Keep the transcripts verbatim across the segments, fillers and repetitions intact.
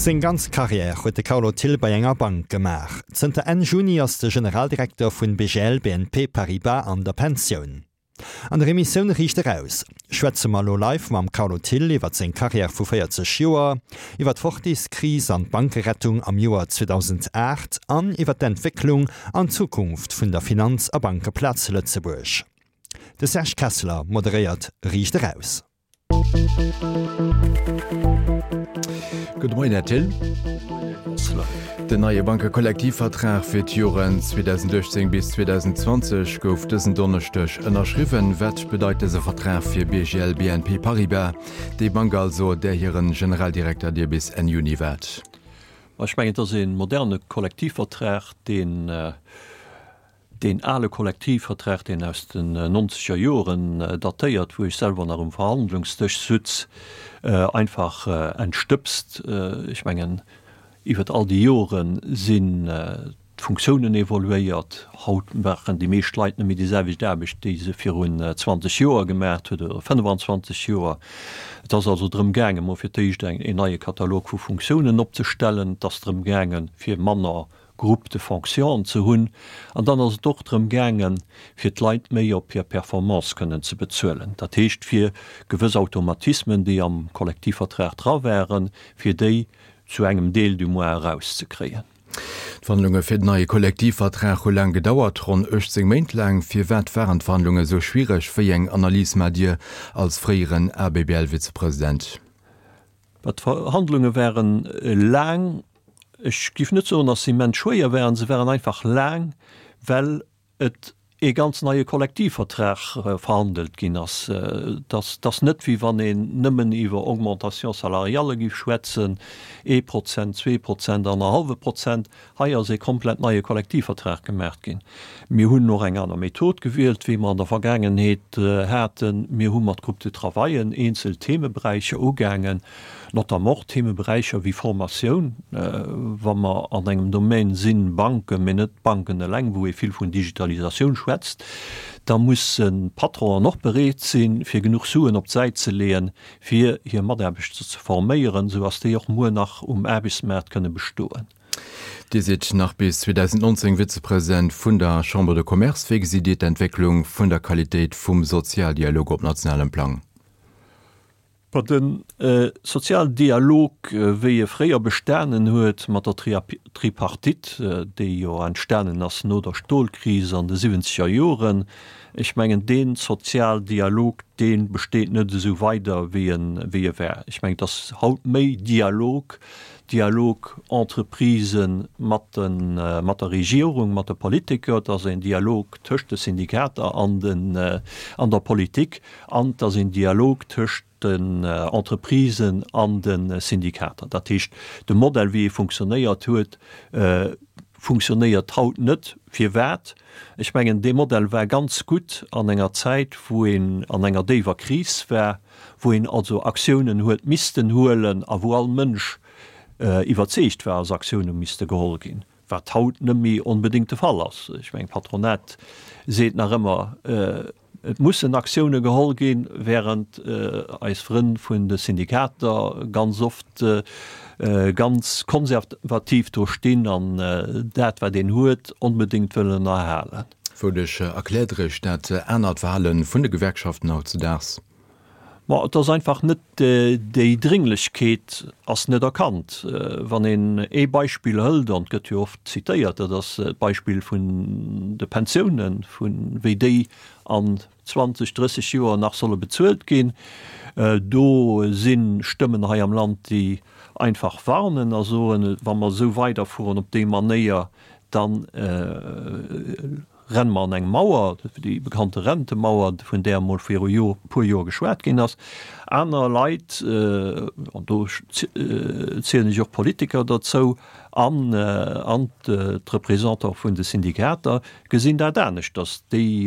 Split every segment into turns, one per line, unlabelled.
Seng ganz Karriär huet de Carlo Thill bei enger Bank gemaach. Zënter Enn Juni ass de Generaldirekter vun B G L B N P Paribas an der Pensioun. An der Emissioun Riicht Eraus schwätze mer elo live mam Carlo Thill iwwer seng Karriär vu véierzeg Joer, iwwer d'Fortis-Kris an d'Bankerettung am Joer zweedausendaacht an iwwer d'Entwécklung an d'Zukunft vun der Finanz a Bankeplaz Lëtzebuerg. De Serge Kessler moderéiert Riicht Eraus.
Gudde Moien, Här Thill. Den neie Bankekollektivvertrag fir d'Joren zweedausenduechtzéng bis zweedausendzwanzeg gouf dësen Donneschdeg ënnerschriwwen. Wat bedeit dëse Vertrag fir B G L B N P Paribas, déi Bank also, där hire Generaldirekter Dir bis Enn Juni waart?
Ech mengen, et ass e moderne Kollektivvertrag, deen Deen ale Kollektivvertrag, deen aus den nonzeger Joren datéiert, wou ech selwer nach um Verhandlungsdësch sutz, einfach entstëbst. Ech mengen, iwwert all déi Jore sinn d'Funktiounen evoluéiert. Haut maachen déi meescht Leit net méi déi selwecht Aarbecht, déi se virun zwanzeg Joer gemaacht huet oder fënnefanzwanzeg Joer. Et ass also drëm gaangen, mol fir d'éischt een neie Katalog vu Funktiounen opzestellen. Et ass drëm gaangen, fir manner Groupes de fonction ze hunn. An dann ass et och drëm gaangen, fir d'Leit méi op hir Performance kënnen ze bezuelen. Dat heescht, fir gewëss Automatismen, déi am Kollektivvertrag dra waren, fir déi zu engem Deel du moins erauszekréien.
D'Verhandlunge fir den neie Kollektivvertrag hu laang gedauert, ronn uechtzéng Méint laang. Firwat waren d'Verhandlunge sou schwiereg? Wéi eng Analys maacht Dir als fréieren A B B L-Vizepresident?
D'Verhandlunge waren laang. Ech géif net soen, dass se immens schwéier waren. Se waren einfach laang, well et ee ganz neie Kollektivvertrag verhandelt ginn ass. Et ass net, wéi wann een nëmmen iwwer Augmentation salariale géif schwätzen, ee Prozent, zwee Prozent, annerhallwe Prozent. Hei ass ee komplett neie Kollektivvertrag gemaach ginn. Mir hunn och eng aner Method gewielt, wéi mer an der Vergaangenheet haten. Mir hu mat Groupes de travaillen eenzel Themeberäicher ugaangen, notamment och Themeberäicher wéi Formatioun, wa mer an engem Domaine sinn, Banken, mee net d'Banken eleng, wou ee vill vun Digitalisatioun schwätzt, da mussen d'Patronen och bereet sinn, fir genuch Suen op d'Säit ze leeën, fir hir Mataarbechter ze forméieren, esou dass déi och muer nach um Aarbechtsmaart kënne bestoen.
Dir sidd nach bis zweedausendnonzéng Vizepresident vun der Chambre de Commerce. Wéi gesitt Dir d'Entwécklung vun der Qualitéit vum Sozialdialog op nationalem Plang?
Bon, de Sozialdialog, wéi e fréier bestanen huet mat der Tripartite, déi jo entstanen ass no der Stolkris an de siwwenzeger Joren, ech mengen, dee Sozialdialog, dee besteet net esou weider, wéi en, wéi e war. Ech mengen, et ass haut méi Dialog, Dialog Entreprisë mat de, mat der Regierung, mat de Politiker, et ass een Dialog tëscht de Syndikater an den, an der Politik an et ass een Dialog tëscht den Entreprisen an de Syndikater. Dat heescht, de Modell, wéi e funktionéiert huet, funktionéiert haut net. Firwat? Ech mengen, dee Modell war ganz gutt an enger Zäit, wou een an enger déiwer Kris war, wou een also Aktiounen huet missten huelen a wou all Mënsch iwwerzeegt war, dass Aktioune misste geholl ginn, wat haut net méi onbedéngt de Fall ass. Ech mengen, d'Patronat seet nach ëmmer, et mussen Aktioune geholl ginn, während eis Frënn vun de Syndikater ganz oft ganz konservativ do stinn an dat, wat een huet, onbedéngt wëllen erhalen.
Wouduerch erkläert Der Iech dat anert Verhale vun de Gewerkschaften hautzedaags?
Ma et ass einfach net, déi Dringlechkeet ass net erkannt. Wann een ee Beispill hëlt, an et gëtt jo oft zitéiert, dat ass d'Beispill vun de Pensiounen, vu wéi déi an zwanzeg, drësseg Joer nach solle bezuelt ginn. Do si Stëmmen hei am Land, déi einfach warnen a soen, wa mer esou weiderfueren op déi Manéier, da renne mer an eng Mauer, déi bekannte Rentemauer, vun där emol viru e puer Joer geschwat ginn ass. Aner Leit, an do zielen ech och Politiker derzou, an d'Representanten vun de Syndikater gesinn dat aneschters. Déi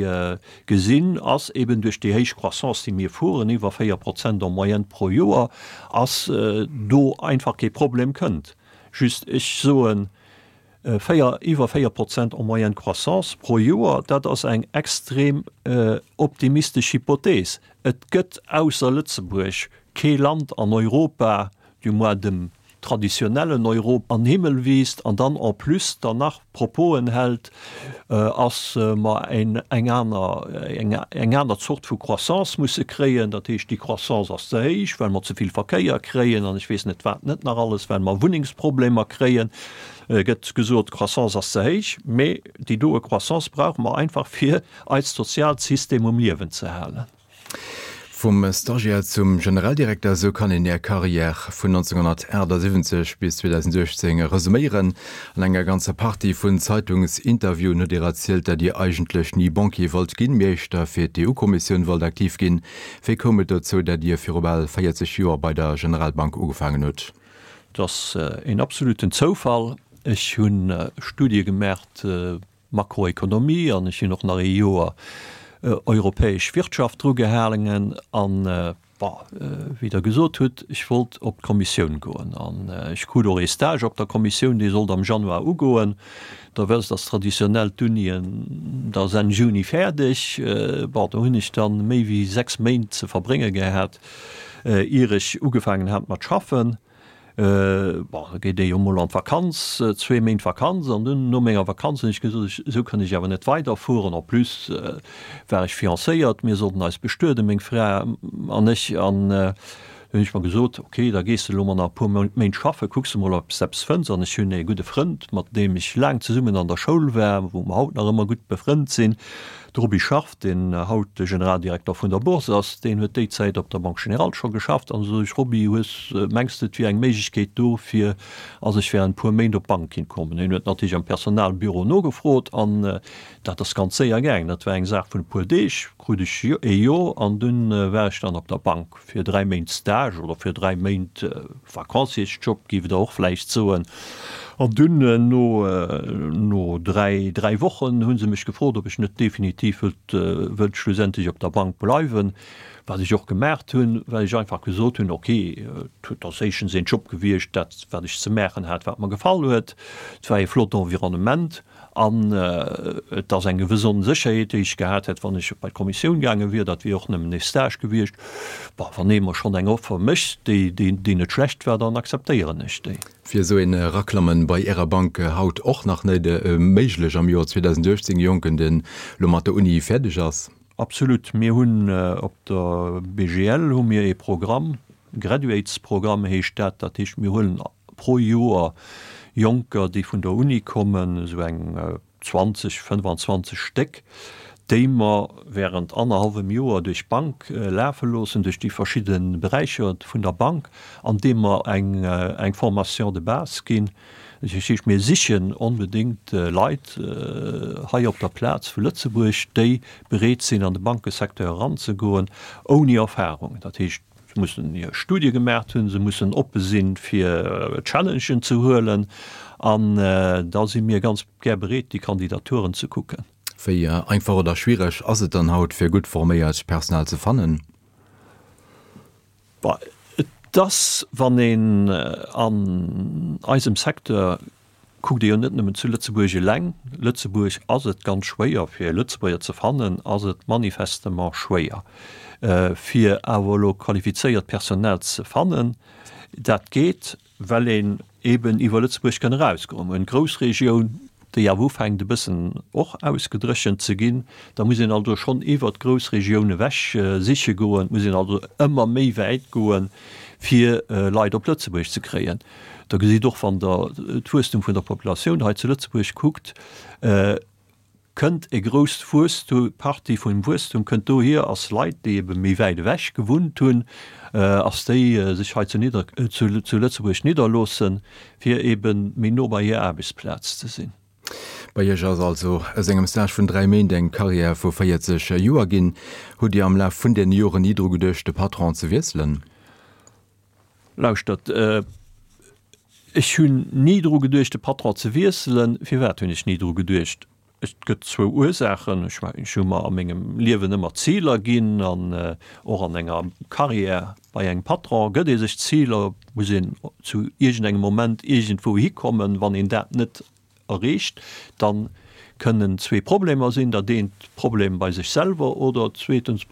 gesinn, ass eben duerch déi héich Croissance, déi mir fueren, iwwer véier Prozent en moyenne pro Joer, ass do einfach kee Problem kënnt. Just ech soen, Véier, iwwer véier Prozent en moyenne Croissance pro Joer, dat ass eng extrem optimistesch Hypothees. Et gëtt ausser Lëtzebuerg kee Land an Europa, du moins dem traditionellen Europa an Himmel wiisst an dann en plus dann nach Proposen hält, ass mer eng aner, eng aner Zort vu Croissance musse kréien. Dat heescht, déi Croissance ass ze héich, well mer ze vill Verkéier kréien an ech weess net wat net nach alles, well mer Wunnengsproblemer kréien, gëtt gesot, d'Croissance ass ze héich. Mee déi doe Croissance brauche mer einfach, fir eist soziaalt System um Liewen ze halen.
Vum Stagiaire zum Generaldirekter, esou kann een Är Carrière vun nonzénghonnertaachtsiwwenzeg bis zweedausenduechtzéng resuméieren. An enger ganzer Partie vun Zeitungsinterviewen hutt Dir erzielt, datt Dir eigentlech ni Banquier wollt ginn, mee éischter fir d'EU-Kommissioun wollt aktiv ginn. Wéi koum et dozou, datt Dir viru bal véierzeg Joer bei der Generalbank ugefaangen hutt?
Et ass een absoluten Zoufall. Ech hu Studie gemaacht, Makroekonomie, an ech hunn och nach ee Joer europäesch Wirtschaft dru gehaangen an, bon, wéi Der gesot hutt, ech wollt op d'Kommissioun goen an ech krut och ee Stage op der Kommissioun, dee sollt am Januar ugoen. Der wësst, dass traditionell d'Unien da Enn Juni fäerdeg. Bon, do hunn ech dann méi wéi sechs Méint ze verbrénge gehat, ier ech ugefaangen hat mat schaffen. Bon, da geet ee jo mol an d'Vakanz, zwee Méint Vakanz, an dunn no menger Vakanz hunn ech gesot, ech, esou kann ech awer net weiderfueren. En plus war ech fiancéiert, mir sollten eis bestueden, meng Fra an ech, an du hunn ech mer gesot, ok, da gees de elo mol nach e puer Méint schaffen, kucks de mol, ob s de eppes fënns. An ech hunn ee gudde Frënd, mat deem ech laang zesummen an der Schoul war, wou mer haut nach ëmmer gutt befrënnt sinn, De Roby Scharff, deen haut de Generaldirekter vun der Bourse ass, deen huet déi Zäit op der Banque Générale scho geschafft. An esou sot ech, Roby, hues, mengs de, et wier eng Méiglechkeet do, fir ass ech während e puer Méint op d'Bank kinnt kommen? Hien huet natierlech am Personalbüro nogefrot an dat ass ganz séier gaangen. Dat war eng Saach vun e puer Deeg, krut ech ee Jo an dunn war ech dann op der Bank fir dräi Méint Stage oder fir dräi Méint Vacanciersjob, géif Der och vläicht soen. An dunn no no dräi dräi Wochen hu se mech gefrot, ob ech net definitiv wëllt wëllt schlussendlech op der Bank bleiwen, wat ech och gemaacht hunn, well ech einfach gesot hunn, ok, et ass éischtens een Job gewiescht, dat wat ech ze maachen hat, wat mer gefall huet, et war ee flott Environnement an et ass eng gewëss Onsécherheet, déi ech gehat hätt, wann ech bei d'Kommissioun gaange wier, dat wier och nëmmen ee Stage gewiescht. Bon, wann ee mer schonn eng Offer mécht, déi déi déi net schlecht war, dann akzeptéieren ech déi.
Wier esou een Eraklammen bei Ärer Bank haut och nach net méiglech am Joer zweedausenduechtzéng, e Jonken deen elo mat der Uni fäerdeg ass?
Absolut. Mir hunn op der B G L hu mir ee Programm, Graduates-Programm heescht dat. Dat heescht, mir huelen pro Joer Jonker, déi vun der Uni kommen, esou eng zwanzeg, fënnefanzwanzeg Stéck, déi mer während annerhallwem Joer duerch d'Bank lafe loossen, duerch déi verschidde Beräicher vun der Bank, an deem mer eng eng Formation de base ginn. Dat heescht, mir sichen onbedéngt Leit hei op der Plaz vu Lëtzebuerg, déi bereet sinn, an de Bankesecteur eranzegoen, ouni Erfahrung. Dat heescht, se mussen hir Studie gemaacht hunn, se mussen oppe sinn, fir Challengen ze huelen, an da si mir ganz gär bereet, déi Kandidaturen ze kucken.
Wéi einfach oder schwiereg ass et dann haut, fir gutt forméiert Personal ze fannen?
Bah, et ass, wann een an eisem Secteur kuckt, ee jo net nëmmen zu Lëtzebuerg eleng, Lëtzebuerg ass et ganz schwéier, fir e Lëtzebuerger ze fannen, ass et manifestement schwéier, fir awer elo qualifizéiert Personal ze fannen. Dat geet, well een eben iwwer Lëtzebuerg kann erausgoen. Mir hunn d'Groussregioun, déi awer ufänkt e bëssen och ausgedréchent ze ginn. Da muss een also schonn iwwert d'Groussregioun ewech siche goen, et muss een also ëmmer méi wäit goen, fir Leit op Lëtzebuerg ze kréien. Der gesitt och, wann Der d'Wuesstum vun der Populatioun hei zu Lëtzebuerg kuckt, kënnt e grousst Wuesstum, Partie vum Wuesstum kënnt dohier, ass Leit, déi ebe méi wäit ewech gewunnt hunn, ass déi sech hei zu Nidder, zu Lëtzebuerg nidderloossen, fir ebe méi no bei hir Aarbechtsplaz ze sinn.
Bei Iech ass also aus engem Stage vun dräi Méint eng Karriär vu véierzeg Joer ginn. Hutt Dir am Laf vun deene Joren ni dru geduecht, de Patron ze wiesselen?
Lauschtert, ech hunn ni dru geduecht, de Patron ze wiesselen. Firwat hunn ech ni dru geduecht? Et gëtt zwou Ursaachen. Ech mengen, ech hu mer a mengem Liewen ëmmer Ziler ginn an och an enger Carrière bei engem Patron gëtt ee sech Ziler, muss een zu iergendengem Moment iergendwou hikommen. Wann een dat net erreecht, da kënnen zwee Problemer sinn, dat eent Problem bei sech selwer oder zweetens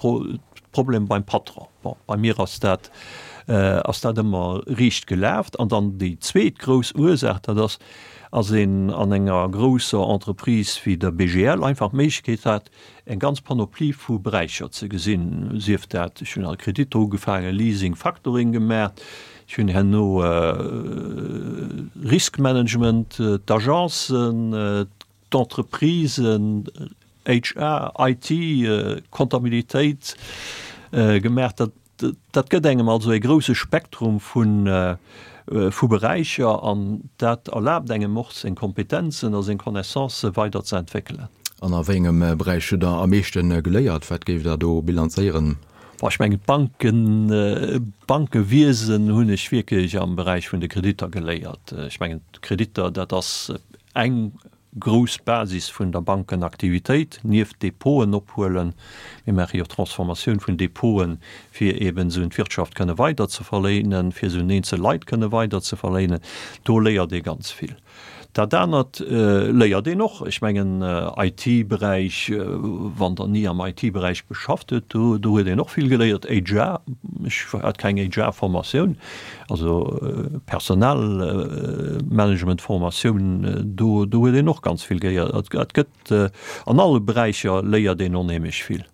Problem beim Patron. Bon, bei mir ass dat ass dat ëmmer riicht gelaf. An dann déi zweet grouss Ursaach, dat ass, ass een an enger grousser Entreprise wéi der B G L einfach d'Méiglechkeet hat, eng ganz Panoplie vu Beräicher ze gesinn, sief dat, ech hunn al Kreditter ugefaangen, Leasing, Factoring gemaach, ech hunn herno Riskmanagement, d'Agencen, d'Entreprisen, H R, I T, Comptabilitéit gemaach. Dat, dat gëtt engem also e grouse Spektrum vu vu Beräicher an dat erlaabt engem och seng Kompetenzen a seng Connaissancë weider ze entwéckelen.
An a wéi engem Beräich hutt Der am meeschte geléiert? Wat géift Der do bilanzéieren?
Bon, ech mengen d'Banken, d'Bankewiesen hunn ech wierklech am Beräich vun de Kreditter geléiert. Ech mengen d'Kreditter, dat ass eng grouss Basis vun der Bankenaktivitéit, nieft Depoten ophuelen. Mir maache jo Transformatioun vun Depoten, fir eeben se un d'Wirtschaft kënne weider ze verléinen, fir se un eenzel Leit kënne weider ze verléinen. Do léiert ee ganz vill. Dat anert léiert een och, ech mengen I T-Beräich, wann Der ni am I T-Beräich geschafft hutt, do do huet een och vill geléiert. H R, ech hat keng H R-Formatioun, also Personalmanagement-Formatioun, do do huet een och ganz vill geléiert. Et gëtt, an alle Beräicher léiert een onheemlech vill.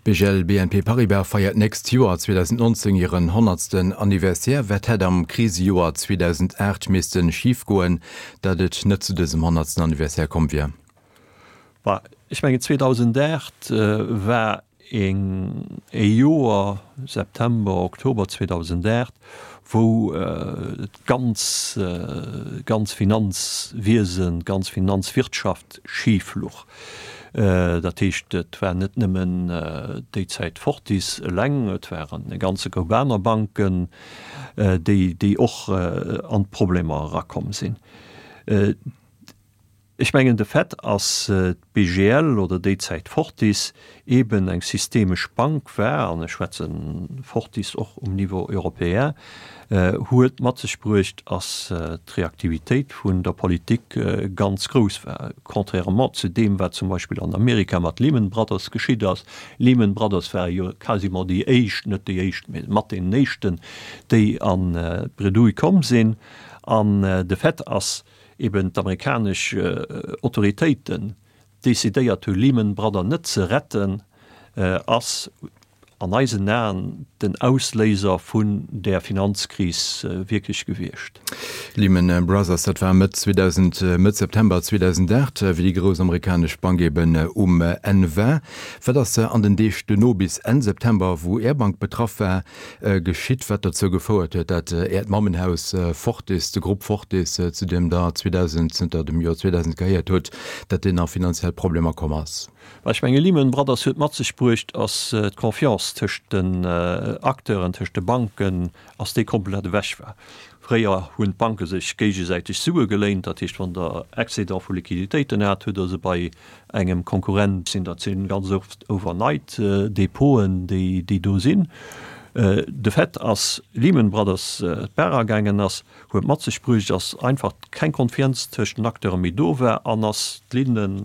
B G L B N P Paribas feiert d'nächst Joer zweedausendnonzéng hiren honnertsten Anniversaire. Wat hätt am Krisejoer zweedausendaacht misste schif goen, datt et net zu dësem honnertsten Anniversaire komm wier?
Bah, ech mengen zweedausendaacht war een e Joer, September, Oktober zweedausendaacht, wou d'ganz ganz Finanzwiesen, d'ganz Finanzwirtschaft schif luch. Dat heescht, et war net nëmmen déi Zäit Fortis eleng, et waren e ganze Koup aner Banken, déi déi och an d'Problemer erakomm sinn. Ech mengen, de Fait, ass d'B G L oder déi Zäit Fortis eeben eng systemesch Bank war, an ech schwätze Fortis och um Niveau européen, huet mat sech bruecht, ass d'Reaktivitéit vun der Politik ganz grouss war, contrairement zu deem, wat zum Beispill an Amerika mat Lehman Brothers geschitt ass. Lehman Brothers ware jo quasiment déi éischt, net déi éischt, mee mat deenen éischten, déi an d'Bredouille komm sinn. An de Fait, ass eben d'amerikanesch Autoritéiten decidéiert hu Lehman Brothers net ze retten, ass an eisen Aen den Ausléiser vun där Finanzkris wierklech gewiescht.
Lehman Brothers, dat war Mëtt zweedausend, Mëtt September zweedausendaacht, wéi déi grouss amerikanesch Bank eben um Enn war. Wat ass an den Deeg duerno bis Enn September, wou Är Bank betraff war, geschitt, wat dozou gefouert huet, dat Äert Mammenhaus Fortis, de Grupp Fortis, zu deem Der zweedausend, zënter dem Joer zweedausend gehéiert hutt, dat deen a finanziell Problemer komm ass?
Well ech menge Lehman Brothers huet mat sech bruecht, ass d'Confiance tëscht den Acteuren, tëscht de Banken, ass déi komplett ewech war. Fréier hunn d'Banke sech géigesäiteg Sue geléint, dat heescht wann Der Excédent vu Liquiditéiten hat, hutt Der se bei engem Konkurrent sinn. Dat sinn ganz oft overnight Depoten, déi déi do sinn. De Fait ass Lehman Brothers d'Baach agaangen ass, huet mat sech bruecht, ass einfach keng Confiance tëscht den Acteure méi do war an ass d'Linne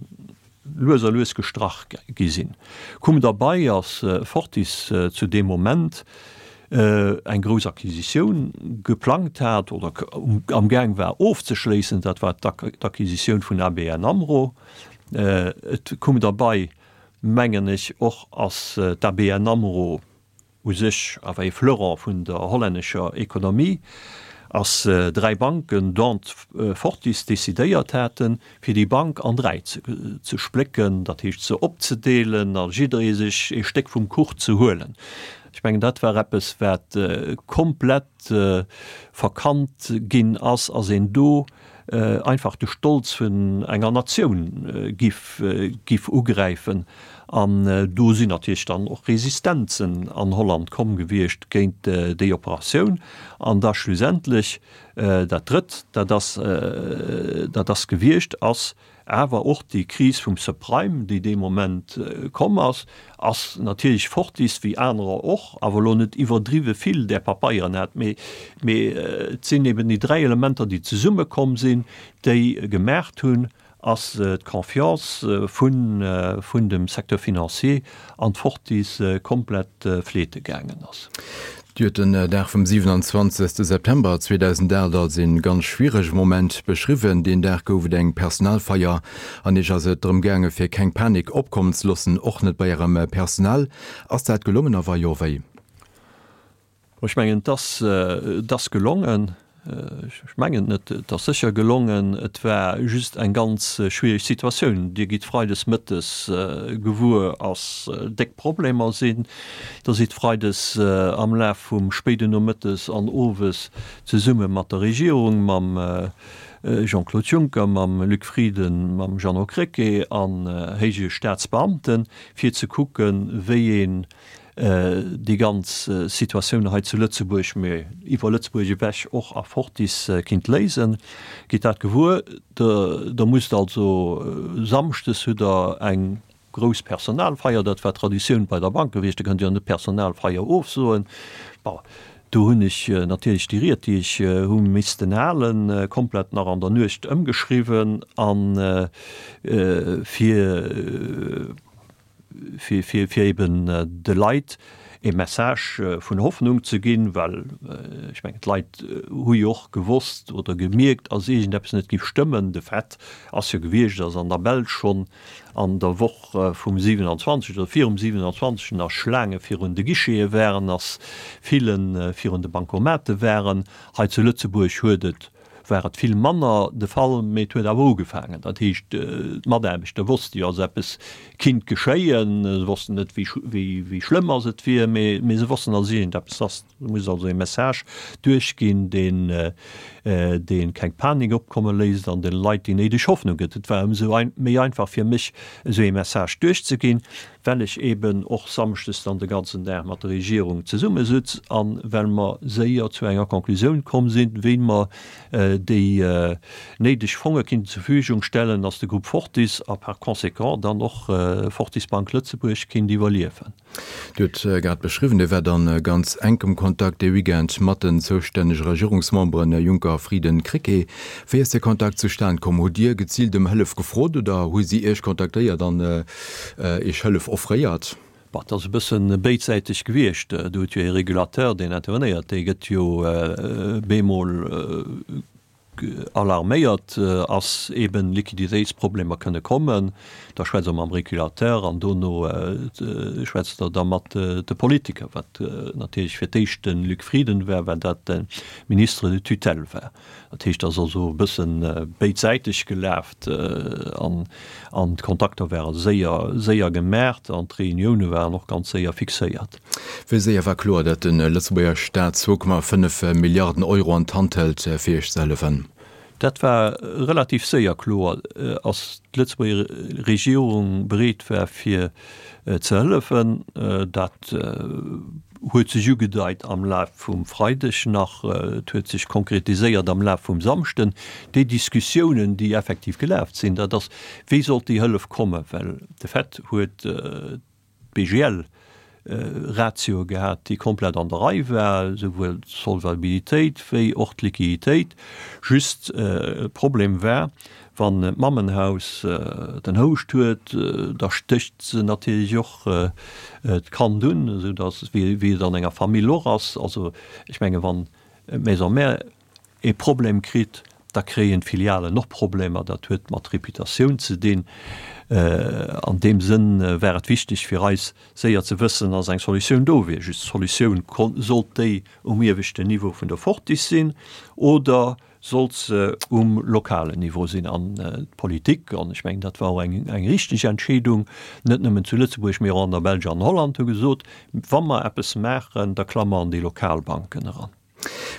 lues a lues gestrach gi sinn. Koum derbei, ass Fortis zu deem Moment eng grouss Acquisitioun geplangt hat oder am Gaang war ofzeschléissen, dat war d'Acquisitioun vun A B N AMRO. Et koum derbei, mengen ech och, ass d'A B N AMRO u sech awer ee Fleuron vun der hollännescher Ekonomie, ass dräi Banken, dont Fortis, decidéiert haten, fir déi Bank an dräi ze splécken, dat heescht se opzedeelen a jidderee sech ee Stéck vum Kuch ze huelen. Ech mengen, dat war eppes, wat komplett verkannt ginn ass, ass een do einfach de Stolz vun enger Natioun giff giff ugräifen. An do sinn natierlech dann och Resistenzen an Holland komm gewiescht géint déi Operatioun. An da schlussendlech dat Drëtt, dat ass dat ass gewiescht, ass awer och déi Kris vum Subprime, déi dee Moment komm ass, ass natierlech Fortis, wéi anerer och, awer elo net iwwerdriwwe vill där Papeieren hat, mee mee et sinn eben déi dräi Elementer, déi zesummekomm sinn, déi gemaacht hunn, ass d'Confiance vun, vun dem Secteur financier an d'Fortis komplett fleete gaangen ass.
Dir hutt den Dag vum siwenanzwanzegste September zweedausendacht als ee ganz schwierege Moment beschriwwen. Deen Dag gouf et eng Personalfeier an Iech ass et drëm gaange fir keng Panik opkommen ze loossen, och net bei Ärem Personal. Ass dat gelongen a wa jo, wéi?
Ech mengen, et ass, et ass gelongen. Ech mengen net, et ass sécher gelongen. Et war just eng ganz schwiereg Situatioun. Dir gitt freides mëttes gewuer, ass déck Problemer sinn. Da sidd freides am Laf vum spéiden Nomëttes an owes zesumme mat der Regierung, mam Jean-Claude Juncker, mam Luc Frieden, mam Jeannot Krecké an héije Staatsbeamten, fir ze kucken, wéi een déi ganz Situatioun hei zu Lëtzebuerg, mee iwwer Lëtzebuerg ewech och a Fortis kinnt léisen. Gitt dat gewuer. Der musst also samschdes hutt Der eng grouss Personalfeier, dat war Traditioun bei der Bank gewiescht, da kënnt Dir net d'Personalfeier ofsoen. Bon, do hunn ech natierlech déi Ried, déi ech hu missten halen, komplett nach an der Nuecht ëmgeschriwwen a fir, fir, fir, fir eben de Leit e Message vun Hoffnung ze ginn, well ech mengen, d'Leit hu jo och gewosst oder gemierkt, ass iergendeppes net géif stëmmen. De Fait ass jo gewiescht, dass an der Belsch schonn an der Woch vum siwenanzwanzeg oder virum siwenanzwanzeg nach Schlaange virun de Guichete waren, dass Fillen virun de Bankomate waren. Hei zu Lëtzebuerg huet et war et vill manner de Fall, mee et huet awer ugefaangen. Dat heescht, d'Mataarbechter wosste jo, ass eppes kinnt geschéien. Se wossten net, wéi, wéi schlëmm ass et wier, mee, mee se wossten, ass iergendeppes ass. Do muss also e Message duerchginn, deen, dee keng Panik opkomme léisst an de Leit déi néideg Hoffnung gëtt. Et war ëmsou méi einfach fir mech, esou ee Message duerchzeginn, well ech eeben och samschdes dann de ganzen Dag mat der Regierung zesummesutz a well mer séier zu enger Conclusioun komm sinn, wéi mer déi néideg Fonge kinnten zur Verfügung stellen, dass de Groupe Fortis a par conséquent dann och Fortis Bank Lëtzebuerg kinnt iwwerliewen.
Dir hutt grad beschriwwen, Dir waart a ganz enkem Kontakt dee Weekend mat den zoustännege Regierungsmemberen Juncker, Frieden, Krecké. Wéi ass dee Kontakt zustan komm? Hutt Dir geziilt ëm Hëllef gefrot oder hu si Iech kontaktéiert an Iech Hëllef offréiert?
Bon, et ass e bësse béidsäiteg gewiescht. Do huet jo ee Régulateur, deen intervenéiert, dee gëtt jo bemol alarméiert ass, eben Liquiditéitsproblemer kënne kommen, da schwätzt Der mam Régulateur an dono schwätzt Der da mat de Politiker, wat natierlech fir d'éischt de Luc Frieden war, well dat de Ministre de tutelle war. Dat heescht, et ass also e bësse béidsäiteg gelaft an d'Kontakter ware séier, séier gemaacht an d'Reunioune waren och ganz séier fixéiert.
Wéi séier war kloer, datt de Lëtzebuerger Staat zwou Komma fënnef Milliarden Euro an d'Hand hëlt, fir Iech ze hëllefen?
Dat war relativ séier kloer, ass d'Lëtzebuerger Regierung bereet war fir ze hëllefen. Dat huet sech ugedeit am Laf vum Freideg nach, et huet sech konkretiséiert am Laf vum Samschden. Déi Diskussiounen, déi effektiv gelaf sinn, dat ass, wéi sollt déi Hëllef kommen, well de Fait huet d'B G L Ratioe gehat, déi komplett an der Rei war, souwuel d'Solvabilitéit wéi och d'Liquiditéit. Just Problem war, wann d'Mammenhaus den Houscht huet, da stécht se natierlech och d'Kand un, esou datt, wéi et an enger Famill och ass. Also ech menge wann d'Maison mère ee Problem kritt, da kréien d'Filialen och Problemer. Dat huet mat Reputatioun ze dinn. An deem Sënn war et wichteg fir eis, séier ze wëssen, dass eng Solutioun do wier. Just d'Solutioun, sollt déi um ieweschten Niveau vun der Fortis sinn oder sollt se um lokalen Niveau sinn? An d'Politik, an ech mengen, dat war och eng eng richteg Entscheedung, net nëmmen zu Lëtzebuerg, mee och an der Belsch an Holland, hu gesot, wa mer eppes maachen, da klamme mer an déi lokal Banken eran.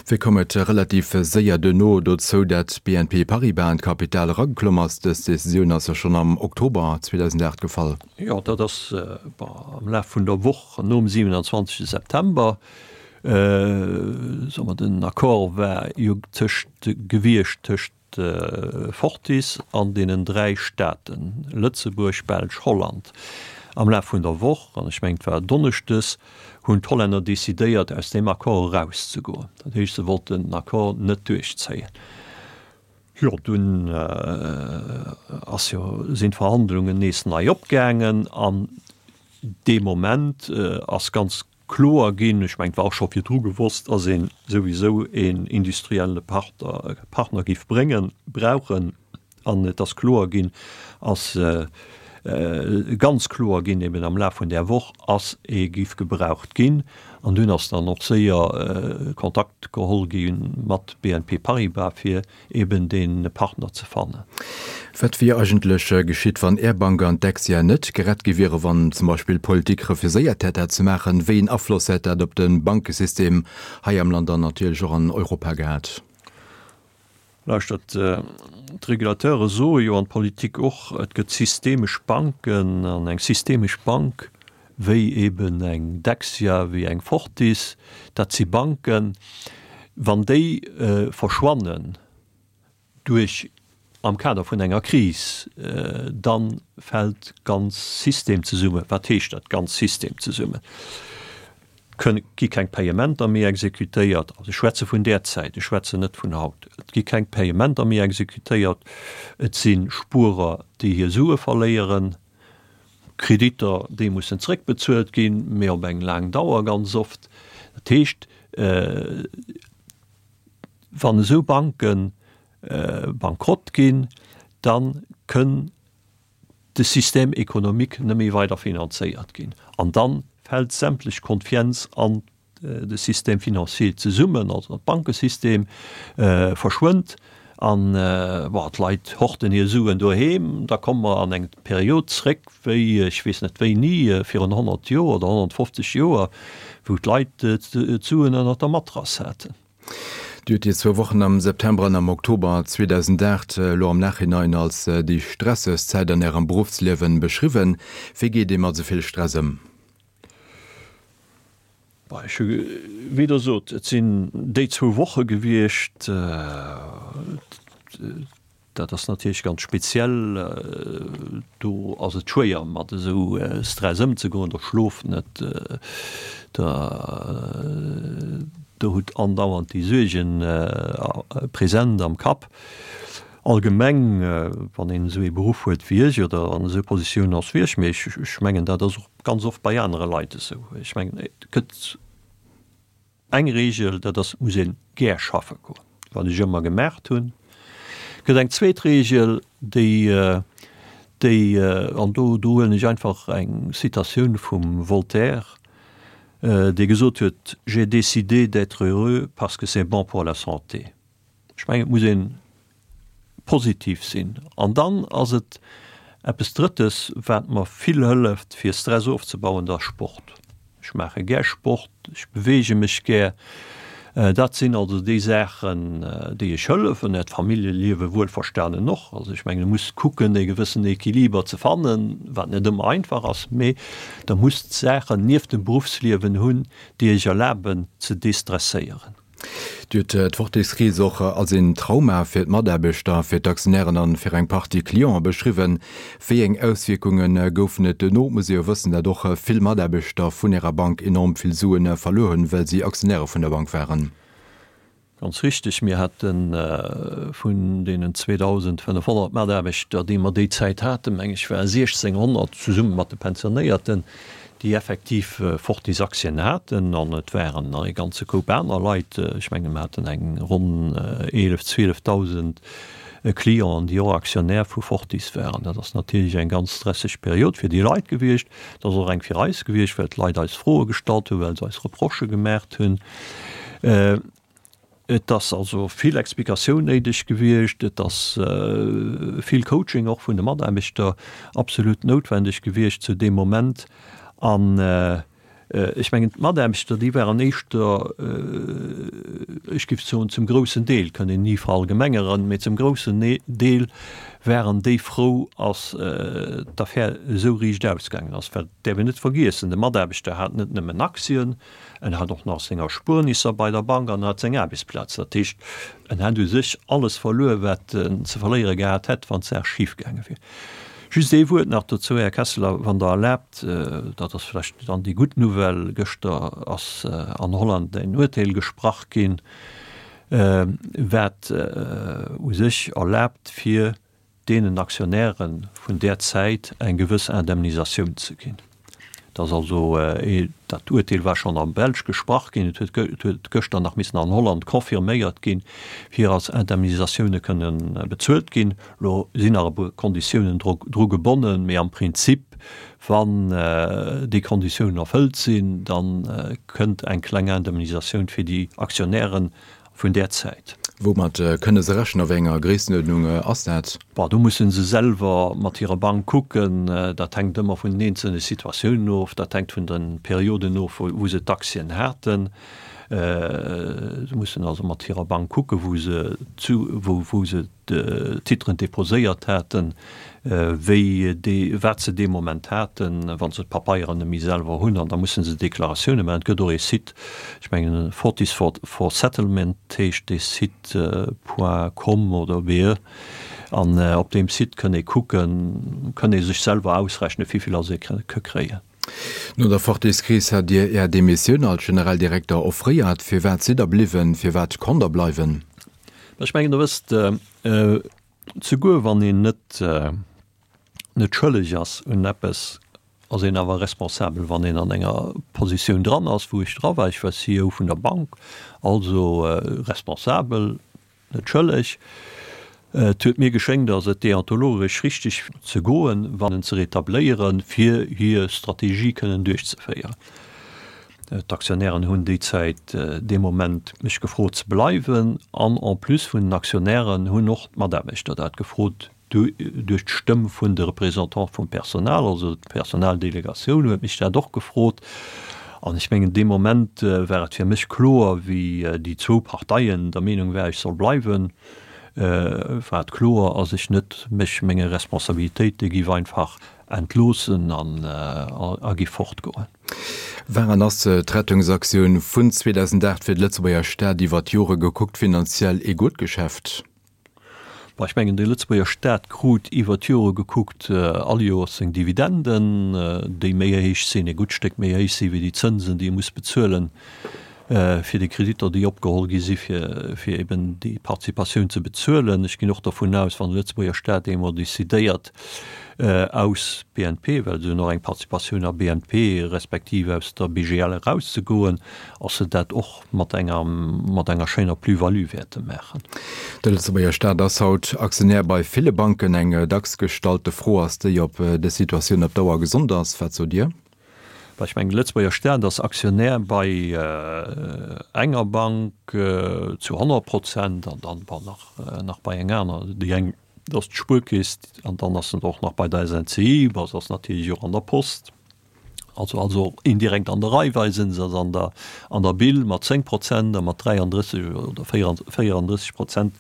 Wéi koum et relativ séier duerno dozou, dat B N P Paribas an d'Kapital erageklomm ass? Dës Decisioun ass jo schonn am Oktober zweedausendacht gefall.
Jo, dat ass am Laf vun der Woch nom siewenundzwanzegste September. Soe mer, den Accord war jo tëscht gewiescht tëscht Fortis an deenen dräi Staaten, Lëtzebuerg, Belsch, Holland. Am Laf vun der Woch, an ech mengen et war donneschdes, hunn d'Hollänner decidéiert, aus deem Accord erauszegoen. Dat heescht, se wollten den Accord net duerchzéien. Jo, dunn ass jo, sinn d'Verhandlungen nees nei opgaangen an dee Moment ass ganz kloer ginn, ech mengen, et war och scho virdru gewosst, dass ee souwisou een industrielle Partner géif bréngen, brauchen. An et ass kloer ginn, ass ganz kloer ginn eben am Laf vun där Woch, ass ee géif gebraucht ginn. An dunn ass dann och séier Kontakt geholl gi mat B N P Paribas, fir eben dee Partner ze fannen.
Wat wier eigentlech geschitt, wann Är Bank an d'Dexia net gerett gi wieren, wann zum Beispill d'Politik refuséiert hätt, dat ze maachen? Wéi een Afloss hätt dat op de Bankesystem hei am Land an natierlech och an Europa gehat?
Lauschtert, d'Regulateure soe jo an d'Politik och, et gëtt systemesch Banken an eng systemesch Bank wéi eben eng Dexia, wéi eng Fortis, dat si Banken, wann déi verschwannen duerch am Kader vun enger Kris, da fält d'ganz System zesummen. Wat heescht dat, d'ganz System zesummen? Kënn, gi keng Payementer méi exekutéiert, also ech schwätze vun där Zäit, ech schwätzen net vun haut, et gi keng Payementer méi exekutéiert, et si Spuerer, déi hir Sue verléieren, Kreditter, déi mussen zréckbezuelt ginn, mee op eng laang Dauer ganz oft. Dat heescht, wann esou Banke bankrott ginn, da kënn de Système économique net méi weider finanzéiert ginn an da fält sämtlech Konfienz an de Système financier zesummen, also an d'Bankesystem verschwënnt an, bon, d'Leit horten hir Suen doheem. Da komme mer an eng Period zréck wéi ech weess net wéini, virun honnert Joer oder honnertfofzeg Joer, wou d'Leit d'Suen ënnert der Matrass haten.
Dir hutt déi zwou Wochen am September an am Oktober zweedausendacht elo am Nachhinein als déi stressegst Zäit an Ärem Beruffsliewen beschriwwen. Wéi geet ee mat esou vill Stress ëm?
Bah, ech hu, wéi Der sot, et sinn déi zwou Woche gewiescht. Dat ass natierlech ganz speziell. Do ass et schwéier, mat esou Stress ëmzegoen. Der schlooft net, der, der hutt andauernd déi Suergen present am Kapp. Allgemeng, wann een esou ee Beruff huet wéi ech oder an esou Positioun ass wéi ech, mee ech mengen, dat ass och ganz oft bei anere Leit esou. Ech mengen, et gëtt eng Regel, dat ass, et muss ee gär schaffe goen, wat ech ëmmer gemaacht hunn. Et gëtt eng zweet Regel, déi, déi, an do, do huelen ech einfach eng Citatioun vum Voltaire, dee gesot huet, J'ai décidé d'être heureux parce que c'est bon pour la santé. Ech mengen, et muss ee positiv sinn. An dann ass et eppes Drëttes, wat mer vill hëlleft, fir Stress ofzebauen, dat ass Sport. Ech maache gär Sport, ech beweege mech gär. Dat sinn also déi Saachen, déi ech hëllefen. D'Familljeliewe wuelverstanen och. Also ech mengen, e muss kucken, e gewëssen Equiliber ze fannen, wat net ëmmer einfach ass, mee Der musst Saachen nieft dem Beruffsliewen hunn, déi Iech erlaben ze destresséieren.
Dir hutt d'Fortis-Kris och als een Trauma fir d'Mataarbechter, fir d'Aktionären an fir eng Partie Cliente beschriwwen. Wéi eng Auswierkunge goufen et duerno? Et muss ee jo wëssen, dat och vill Mataarbechter vun Ärer Bank enorm vill Sue verluer hunn, well si Aktionäre vun der Bank waren.
Ganz richteg, mir hate vun deenen zweedausendfënnefhonnert Mataarbechter, déi mer déi Zäit haten, meng ech, ware siechzénghonnert, zesumme mat de Pensionéierten, déi effektiv Fortis-Aktien haten. An et waren nach e ganze Koup aner Leit, ech menge mer haten eng ronn eelef, zwielefdausend Clienten, déi och Aktionär vu Fortis waren. Dat ass natierlech eng ganz stresseg Period fir déi Leit gewiescht. Et ass och eng fir eis gewiescht, well d'Leit eis Froe gestallt hunn, well se eis Reprochë gemaacht hunn. Et ass also vill Explikatioun néideg gewiescht, et ass vill Coaching och vun de Mataarbechter absolut noutwendeg gewiescht zu deem Moment. An ech mengen, d'Mataarbechter, déi waren éischter, ech géif soen zum groussen Deel, kënn een ni verallgemengeren, mee zum groussen Deel waren déi frou, ass d'Affär esou riicht ausgaangen ass. Well et däerf een net vergiessen, de Mataarbechter hat net nëmmen Aktien, En hat och nach seng Erspuernisser bei der Bank an hat seng Aarbechtsplaz. Dat heescht, en hätt u sech alles verluer, wat en ze verléiere gehat hätt, wann d'Saach schif gaange wier. Just ee Wuert nach dozou, Här Kesseler, wann Der erlaabt, dat ass vläicht dann déi gutt Nouvelle, Gëschter ass an Holland en Urteel gesprach ginn, wat u sech erlaabt fir deenen Aktionäre vun där Zäit eng gewëss Indemnisatioun ze ginn. Dat ass also, dat Urteel war schonn am Belsch gesprach ginn, et huet gëschter nach missen an Holland confirméiert ginn, fir als Indemnisatioune kënne bezuelt ginn. Elo sinn nach e puer Konditiounen dru gebonnen, mee am Prinzip, wann déi Konditiounen erfëllt sinn, da kënnt eng kleng Indemnisatioun fir déi Aktionären vun där Zäit.
Woumat kënne se rechnen? A wéi enger Gréissenuerdnung ass dat?
Bon, do musse se selwer mat hirer Bank kucken. Dat hänkt ëmmer vun den eenzelne Situatiounen of. Dat hänkt vun de Perioden of, wou se d'Aktien haten. Se mussen also mat hirer Bank kucken, wou se zu, wou se d'Titren deposéiert haten, wéi déi, wat se dee Moment haten, wa se d'Papeieren net méi selwer hunn. An da musse se Deklaratioune maachen. Et gëtt och ee Site, ech mengen Fortis for, for Settlement heescht dee Site, point com oder be. An op deem Site kënn ee kucken, kënn ee sech selwer ausrechnen, wéivill ass ee ka kréien.
No der Fortis-Kris hat Dir Är Demissioun als Generaldirekter offréiert. Firwat sidd Der bliwwen? Firwat konnt Der bleiwen?
Ech mengen, Der wësst, souguer wann een net net schëlleg ass un eppes, ass een awer responsabel, wann een an enger Positioun dran ass, wou ech dra war. Ech war C E O vun der Bank, also responsabel, net schëlleg. Et huet mir geschéngt, datt et deontologesch richteg ze goen, wann ze retabléieren, fir hir Strategie kënnen duerchzeféieren. D'Aktionären hunn déi Zäit, dee Moment mech gefrot ze bleiwen an en plus vun den Aktionären hunn och d'Mataarbechter dat gefrot duerch d'Stëmm vun de Représentante vum Personal, also d'Personaldelegatioun huet mech dat och gefrot. An ech mengen, dee Moment war et fir mech kloer, wéi déi zwou Parteien der Meenung war, ech soll bleiwen, war et kloer, ass ech net mech menge Responsabilitéite giff einfach entloossen an a giff fortgoen.
War an ass d'Rettungsaktioun vun zweedausendacht fir de Lëtzebuerger Staat iwwer d'Jore gekuckt finanziell ee gutt Geschäft?
Bon, ech mengen, de Lëtzebuerger Staat krut iwwer d'Jore gekuckt all Joers seng Dividenden, déi méi héich sinn, e gutt Stéck méi héich sinn, wéi déi Zënsen, déi e muss bezuelen fir déi Kreditter, déi opgeholl gi si fir, fir eben déi Participatioun ze bezuelen. Ech ginn och dervun aus, wann de Lëtzebuerger Staat eemol decidéiert, aus B N P, well se hunn och eng Participatioun a B N P, respektiv aus der B G L erauszegoen, ass se dat och mat enger, mat enger schéiner Plus-value wäerte maachen.
De Lëtzebuerger Staat ass haut Aktionär bei ville Banken. Eng dacks gestallte Fro ass déi, ob dës Situatioun op Dauer gesond ass. Wat sot Dir?
Well ech mengen, de Lëtzebuerger Staat ass Aktionär bei enger Bank zu honnert Prozent an dann bon nach, nach bei enger aner. Déi eng, dat ass d'Spuerkeess an dann ass en och nach bei der S N C I, bon, se ass natierlech och an der Post, also also indirekt an der Raiffeisen, se ass an der, an der B I L mat zéng Prozent a mat dräiandrësseg oder véierandrësseg Prozent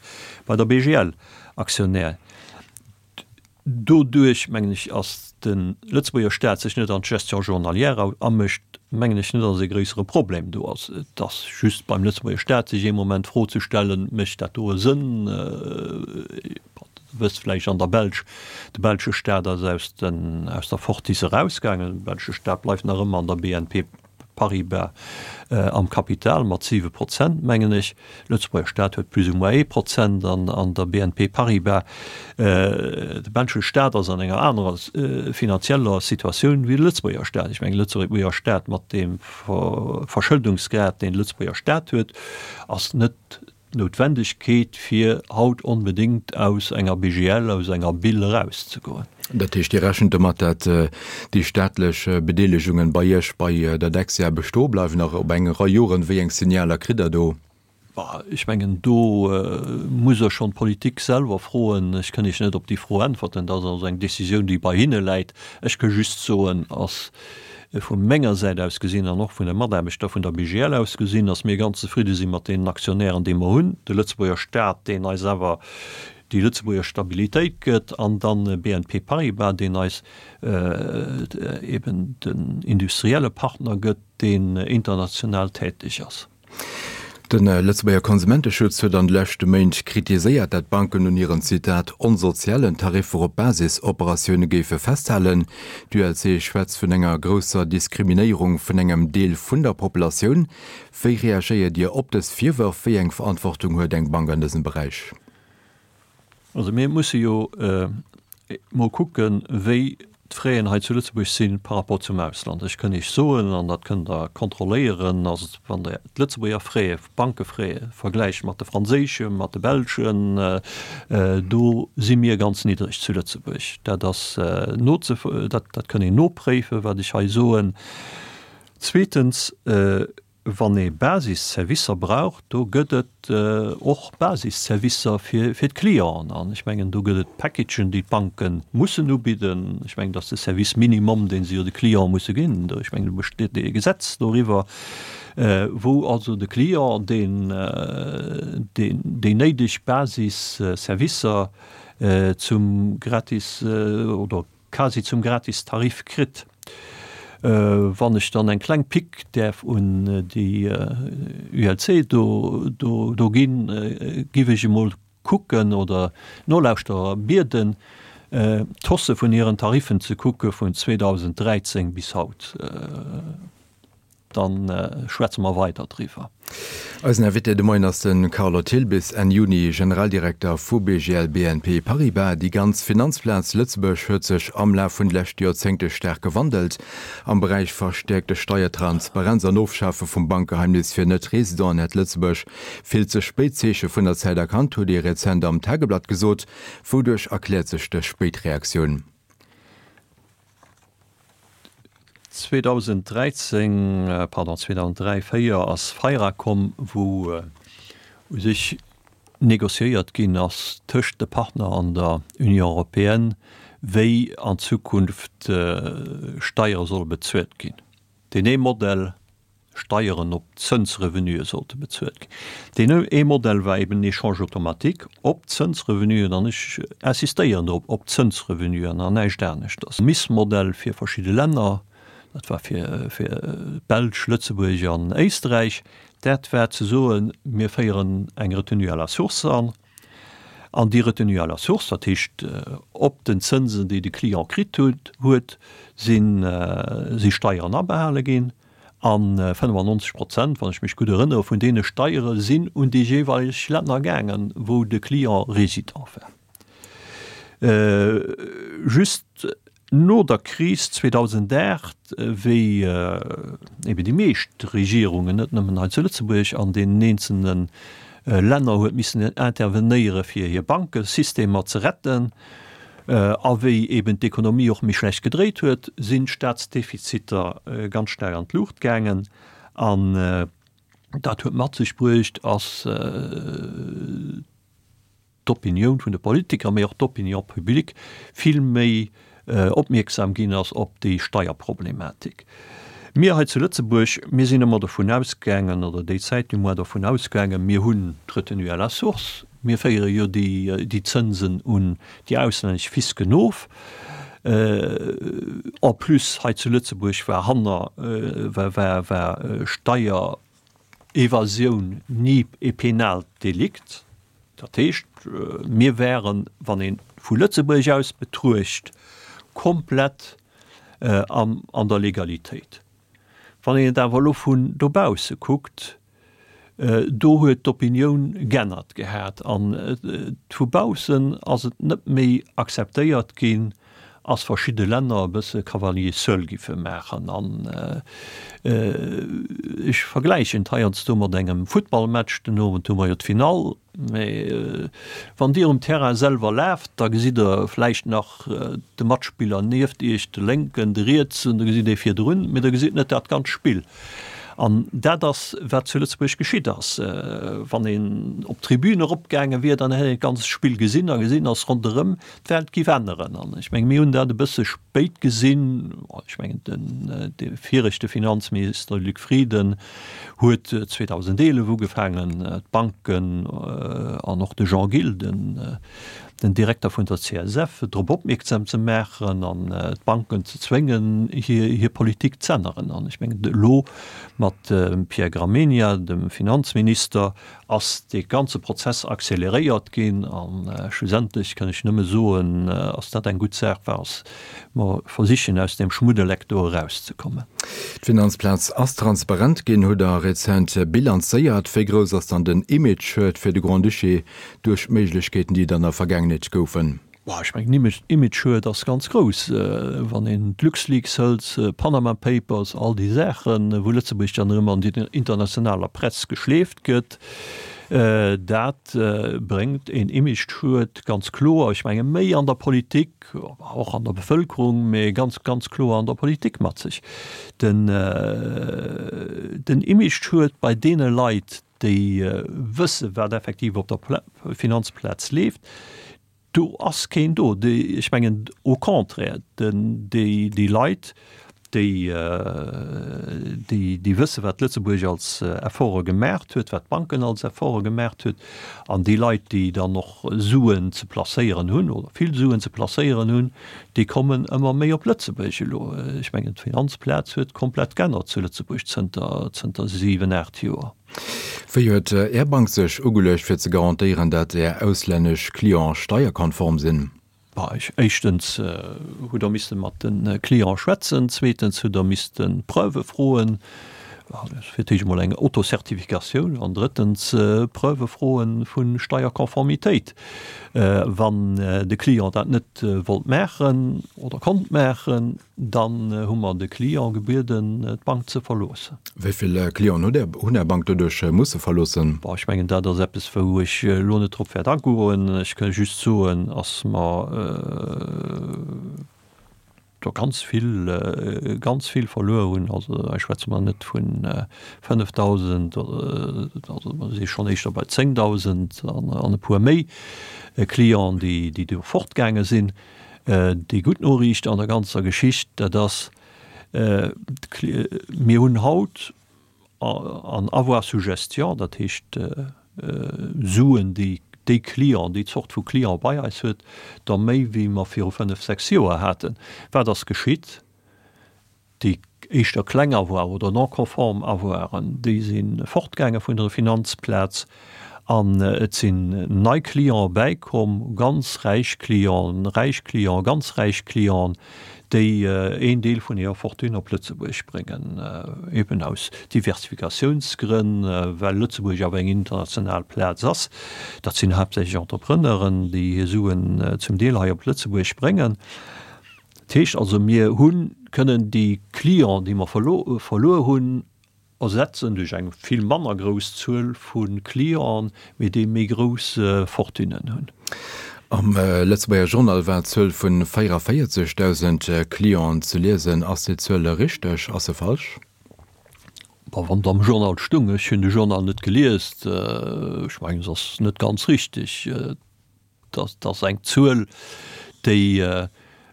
bei der B G L Aktionär. Doduerch, mengen ech, ass de Lëtzebuerger Staat sech net an d'Gestion journalière amëscht, mengen ech net, datt e gréissere Problem do ass. Et ass just beim Lëtzebuerger Staat sech ee Moment d'Fro ze stellen, Mécht dat do e Sënn? Der wësst vläicht, an der Belsch, de belsche Staat ass aus den, aus der Fortis erausgaangen. De belsche Staat bleift nach ëmmer an der B N P Paribas am Kapital mat siwe Prozent, mengen ech. Lëtzebuerger Staat huet plus ou moins ee Prozent an der B N P Paribas. De belsche Staat ass an enger anerer finanzieller Situatioun wéi de Lëtzebuerger Staat. Ech mengen, de Lëtzebuerger Staat mat deem Verschëldungsgrad, deen de Lëtzebuerger Staat huet, ass net d'Noutwendegkeet, fir haut onbedéngt aus enger B G L, aus enger B I L erauszegoen.
Dat heescht, Dir rechent domat, datt déi staatlech Bedeelegungen bei Iech, bei der Dexia bestoe bleiwen, nach op eng Rei Joren? Wéi eng Signaler kritt Der do?
Ech mengen, do muss Der schonn d'Politik selwer froen. Ech kënn Iech net op déi Fro äntwerten. Dat ass also eng Décisioun, déi bei hinne läit. Ech ka just soen, ass vu menger Säit aus gesinn an och vun de Mataarbechter vun der B G L aus gesinn, dass mir ganz zefridde si mat deenen Aktionären, déi mer hunn, de Lëtzebuerger Staat, deen eis awer déi Lëtzebuerger Stabilitéit gëtt, an dann B N P Paribas, deen eis eben den industrielle Partner gëtt, deen international täteg ass.
De Lëtzebuerger Konsumenteschutz huet an de leschte Méint kritiséiert, dat d'Banken un hiren, Zitat, onsozialen Tariffer op Basisoperatioune géife festhalen. D'ULC schwätzt vun enger grousser Diskriminéierung vun engem Deel vun der Populatioun. Wéi reagéiert Dir op dës Virwërf? Wéi eng Verantwortung huet eng Bank an dësem Beräich?
Also mir musse jo mol kucken, wéi d'Fraisen hei zu Lëtzebuerg si par rapport zum Ausland. Ech kënn Iech soen, an dat kënnt Der kontrolléieren, dass wann Der d'Lëtzebuerger Frais, Bankefraise vergläicht mat de franséischen, mat de belschen, do si mir ganz niddreg zu Lëtzebuerg. Dat ass noze, dat, dat kënn een nopréifen, wat ech hei soen. Zweetens, Wann ee Basisservicer brauch, do gëtt et och Basisservicer fir d'Clienten. An ech mengen, do gëtt et Packagen, déi d'Banke mussen ubidden. Ech mengen, dat ass de Service minimum, dee se jo de Cliente musse ginn. Ech mengen, do besteet e Gesetz doriwwer, wou also de Client deen déi néideg Basisservicer zum gratis oder quasi zum gratis Tarif kritt. Wann ech dann eng kleng Pick däerf un déi U L C do do ginn, giff ech emol kucken oder d'Nolauschterer bieden, d'Hausse vun hiren Tariffen ze kucke vun zweedausenddräizéng bis haut. Dann schwätze mer weider driwwer.
Eisen Invité de Moien ass de Carlo Thill, bis Enn Juni Generaldirekter vu B G L B N P Paribas. Déi ganz Finanzplaz Lëtzebuerg huet sech am Laf vun de leschte Joerzéngte staark gewandelt. Am Beräich verstäerkte Steiertransparenz an Ofschafe vum Bankgeheimnis fir Net-Residenten hätt Lëtzebuerg vill ze spéit d'Zeeche vun der Zäit erkannt, hutt Dir rezent am Tageblatt gesot. Wouduerch erkläert sech dës spéit Reaktioun?
zweedausenddräizéng, pardon, zweedausenddräi, véier ass FIRA komm, wou u sech négociéiert ginn ass tëscht de Partner an der Union européenne, wéi an Zukunft Steiere solle bezuelt ginn. Deen ee Modell, Steieren op Zënsrevenue sollte bezuelt ginn. Deen ee Modell war eben den Échange automatique op Zënsrevenuen, an ech insistéieren drop, op Zënsrevenuen an näischt aneschters. Missmodell fir verschidde Länner, dat war fir fir d'Belsch, Lëtzebuerg an Éisträich, dat war ze soen, mir féieren eng Retenue à la source an, an déi Retenue à la source, dat heescht op den Zënsen, déi de Client kritt huet, huet, sinn si Steieren abehale ginn. A fënnefannonzeg Prozent, wann ech mech gutt erënnere, vun deene Steiere sinn un déi jeeweileg Länner gaangen, wou de Client Résident war. Just no der Kris zweedausendacht, wéi ebe déi meescht Regierungen, net nëmmen hei zu Lëtzebuerg, an deenen eenzelne Länner huet missen intervenéiere fir hir Bankesystemer ze retten, a wéi eben d'Ekonomie och méi schlecht gedréit huet, sinn d'Staatsdefiziter ganz staark an d'Luucht gaangen. An dat huet mat sech bruecht, ass d'Opinioun vun de Politiker, mee och d'Opinion publique vill méi opmierksam ginn ass op déi Steierproblematik. Mir hei zu Lëtzebuerg, mir sinn ëmmer dovun ausgaangen, oder déi Zäit du moins dovun ausgaangen, mir hunn d'Retenue à la source, mir féiere jo déi Zënsen un déi auslännesch Fisken of. En plus hei zu Lëtzebuerg war hanner, war, war, war Steierevasioun ni e penaalt Delikt. Dat heescht, mir wären, wann ee vu Lëtzebuerg aus betruecht, komplett an an der Legalitéit. Wann een et awer elo vun dobausse kuckt, do huet d'Opinioun g'ännert gehat an vu baussen ass et net méi akzeptéiert ginn, ass verschidde Länner e bësse Cavalier seul giffe maachen. An ech vergläichen et heiansdo mat engem Futtballmatch, den Owend hu mer jo d'Finall, Mee wann Dir um Terrain selwer laaft, da gesitt Der vläicht nach de Matspiller nieft Iech, de lénken, de rietsen, da gesitt ee virdrun, mee Der gesitt net dat ganz Spill. An dat ass, wat zu Lëtzebuerg geschitt ass. Wann een op d'Tribün eropgaange wier, dann hätt een d'ganz Spill gesinn a gesinn, dass ronderëm d'Welt giff änneren. An ech menge mir hunn dat e bësse spéit gesinn. Ech mengen, den dee viregte Finanzminister Luc Frieden huet zweedausendeelef ugefaangen, d'Banken an och de Jean Gil, den den Direkter vun der C S F, drop opmierksam ze maachen an d'Banken ze zwéngen, hir hir Politik z'änneren. An ech mengen, elo mat Mat dem Pierre Gramegna, dem Finanzminister, ass dee ganze Prozess acceleréiert ginn a schlussendlech kann ech nëmme soen, ass dat eng gutt Saach, wa mer versichen aus deem Schmuddeleck do erauszekommen.
D'Finanzplaz ass transparent ginn, hutt Der rezent bilanzéiert. Wéi grouss ass dann den Imageschued fir de Grand-Duché duerch d'Méiglechkeeten, déi et an der Vergaangenheet goufen?
Bon, ech mengen, Imageschued ass ganz grouss. Wann een d'LuxLeaks hëlt, d'Panama Papers, all déi Saachen, wou Lëtzebuerg dann erëm an déi internationaler Press geschleeft gëtt, dat bréngt een Imageschued, ganz kloer. Ech menge méi an der Politik, och an der Bevëlkerung, mee ganz, ganz kloer an der Politik mat sech. Den, den Imageschued bei deene Leit, déi wësse wat effektiv op der Finanzplaz leeft, do ass keen do. Déi, ech mengen au contraire, den, déi, déi Leit, déi, déi, déi wësse wat Lëtzebuerg als Efforte gemaacht huet, wat d'Banken als Efforte gemaacht huet, an déi Leit, déi dann och Suen ze placéieren hunn oder vill Suen ze placéieren hunn, déi kommen ëmmer méi op Lëtzebuerg elo. Ech mengen d'Finanzplaz huet komplett g'ännert zu Lëtzebuerg zënter, zënter siwen, aacht Joer.
Wéi huet Är Bank sech ugeluecht fir ze garantéieren, dat Är auslännesch Clienten steierkonform sinn?
Éischtens hutt Der misste mat de Cliente schwätzen, zweetens hutt Der misste Preuve froen, fir d'éischt emol eng Autocertificatioun an drëttens Preuve froe vu Steierkonformitéit. Wann de Client dat net wollt maachen oder konnt maachen, dann hu mer de Client gebieden, d'Bank ze verloossen.
Wéi vill Clienten hunn Är Bank doduerch musse verloossen?
Bon, ech mengen, dat ass eppes, wou ech elo net drop wäert agoen. Ech ka just soen, ass mer do ganz vill, ganz vill verluer hunn. Also hei schwätze mer net vu fënnefdausend, also mer si schonn éischter bei zéngdausend an e puer méi Clienten, déi do fortgaange sinn. Déi gutt Noriicht an der ganzer Geschicht, dat ass, mir hunn haut an Avoir sous gestion, dat heescht Suen, déi déi Client, déi Zort vu Client bei eis huet, der méi wéi mer viru fënnef, sechs Joer haten. Wat ass geschitt? Déi éischter kleng Avoiren oder non conforme Avoiren, déi si fortgaange vun der Finanzplaz an et sinn nei Clienten bäikomm, ganz räich Clienten, räich Clienten, ganz räich Clienten, déi een Deel vun hirer Fortune op Lëtzebuerg bréngen, eben aus Diversifikatiounsgrënn, well Lëtzebuerg awer eng international Plaz ass. Dat sinn haaptsächlech Entrepreneuren, déi hir Suen zum Deel hei op Lëtzebuerg bréngen. Dat heescht also, mir hu kënnen déi Clienten, déi mer verluer hunn, ersetzen duerch eng vill manner grouss Zuel vu Clienten, mee déi méi grouss Fortunen hunn.
Am Lëtzebuerger Journal war d'Zuel vu véierunvéierzegdausend Clienten ze liesen. Ass déi Zuel richteg? Ass se falsch?
Bon, wann et am Journal stung, ech hunn de Journal net gelies, ech mengen, se ass net ganz richteg. Dat ass eng Zuel, déi,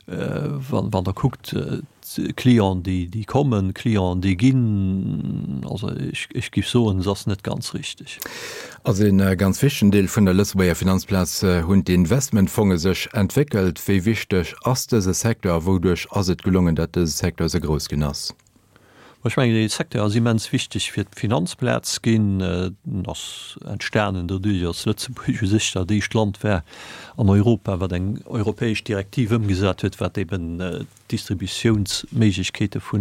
wann Der kuckt, Clienten, déi kommen, Clienten, déi ginn, also ech géif soen, se ass net ganz richteg.
Als ee ganz wichtegen Deel vun der Lëtzebuerger Finanzplaz hunn d'Investmentfonge sech entwéckelt. Wéi wichteg ass dëse Secteur a wouduerch ass et gelongen, datt dëse Secteur esou grouss ginn ass?
Ech mengen, dee Secteur ass immens wichteg fir d'Finanzplaz ginn. En ass entstanen doduerch, datt Lëtzebuerg u sech dat éischt Land war an Europa, wat eng europäesch Direktiv ëmgesat huet, wat eben d'Distributiounsméiglechkeete vu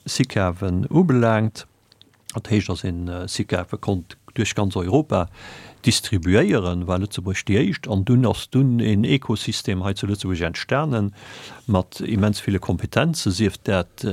SICAVen ubelaangt. Dat heescht, datt een SICAVe konnt duerch ganz Europa distribuéieren, war Lëtzebuerg déi éischt. An dunn ass dunn een Ekosystem hei zu Lëtzebuerg entstanen mat immens ville Kompetenzen, sief dat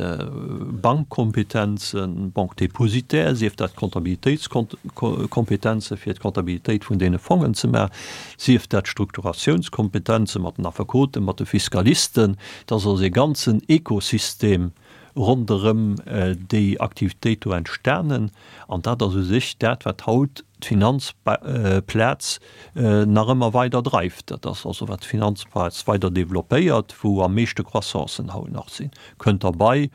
Bankkompetenzen, Banque dépositaire, sief dat Comptabilitéitskompetenze fir d'Comptabilitéit vun deene Fongen ze maachen, sief dat Strukturatiounskompetenze mat den Affekoten, mat de Fiskalisten. Et ass also ee ganzen Ekosystem ronderëm déi Aktivitéit do entstanen. An dat ass u sech dat, wat haut d'Finanzplaz nach ëmmer weider dreift. Dat ass also, wat d'Finanzplaz weider developpéiert, wou am meeschte Croissancen haut nach sinn. Kënnt derbei,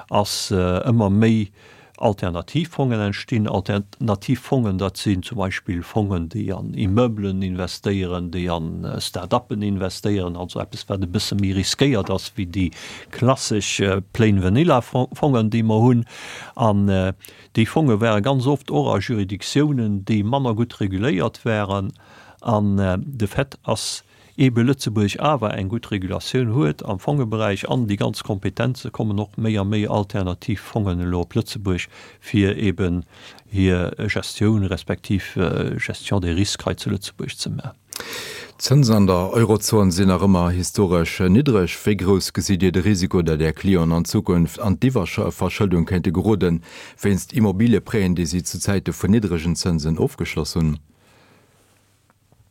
ass ëmmer méi Alternativfongen entstinn. Alternativfongen, dat sinn zum Beispill Fongen, déi an Immeublen investéieren, déi an Start-uppen investéieren, also eppes, wat e bësse méi riskéiert ass wéi déi klassesch plain vanilla Fongen, déi mer hunn. An déi Fonge ware ganz oft och a Juridictiounen, déi manner gutt reguléiert waren. An de Fait ass eebe Lëtzebuerg awer eng gutt Regulatioun huet am Fongeberäich an déi ganz Kompetenze kommen och méi a méi alternativ Fongen elo op Lëtzebuerg, fir eeben hir Gestioun respektiv Gestion des risques hei zu Lëtzebuerg ze maachen.
D'Zënsen an der Eurozon sinn nach ëmmer historesch niddreg. Wéi grouss gesitt Dir de Risiko, datt Är Clienten an Zukunft an d'Iwwerverschëldung kéinte geroden, wéinst Immobilieprêten, déi si zu Zäite vun niddregen Zënsen ofgeschloss hunn?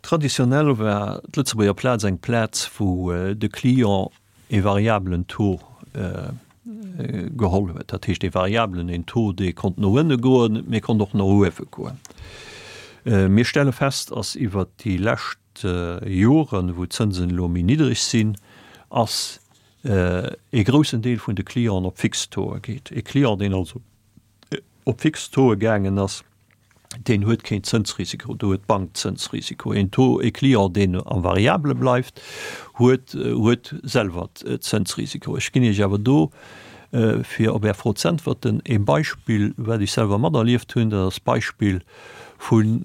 Traditionell war d'Lëtzebuerger Plaz eng Plaz, wou de Client ee variabelen Taux geholl huet. Dat heescht ee variabelen, een Taux, dee konnt no ënne goen, mee konnt och no uewe goen. Mir stelle fest, ass iwwert déi lescht Joren, wou d'Zënsen elo méi niddreg sinn, ass ee groussen Deel vun de Clienten op fix Tauxe geet. Ee Client, deen also op fix Tauxe gaangen ass, deen huet keen Zënsrisiko, do huet d'Bank Zënsrisiko. Een Taux, ee Client, deen am Variabele bleift, huet, huet selwer Zënsrisiko. Ech ginn Iech awer do, fir op Är Fro z'äntwerten, ee Beispill, wat ech selwer materlieft hunn, dat ass d'Beispill vun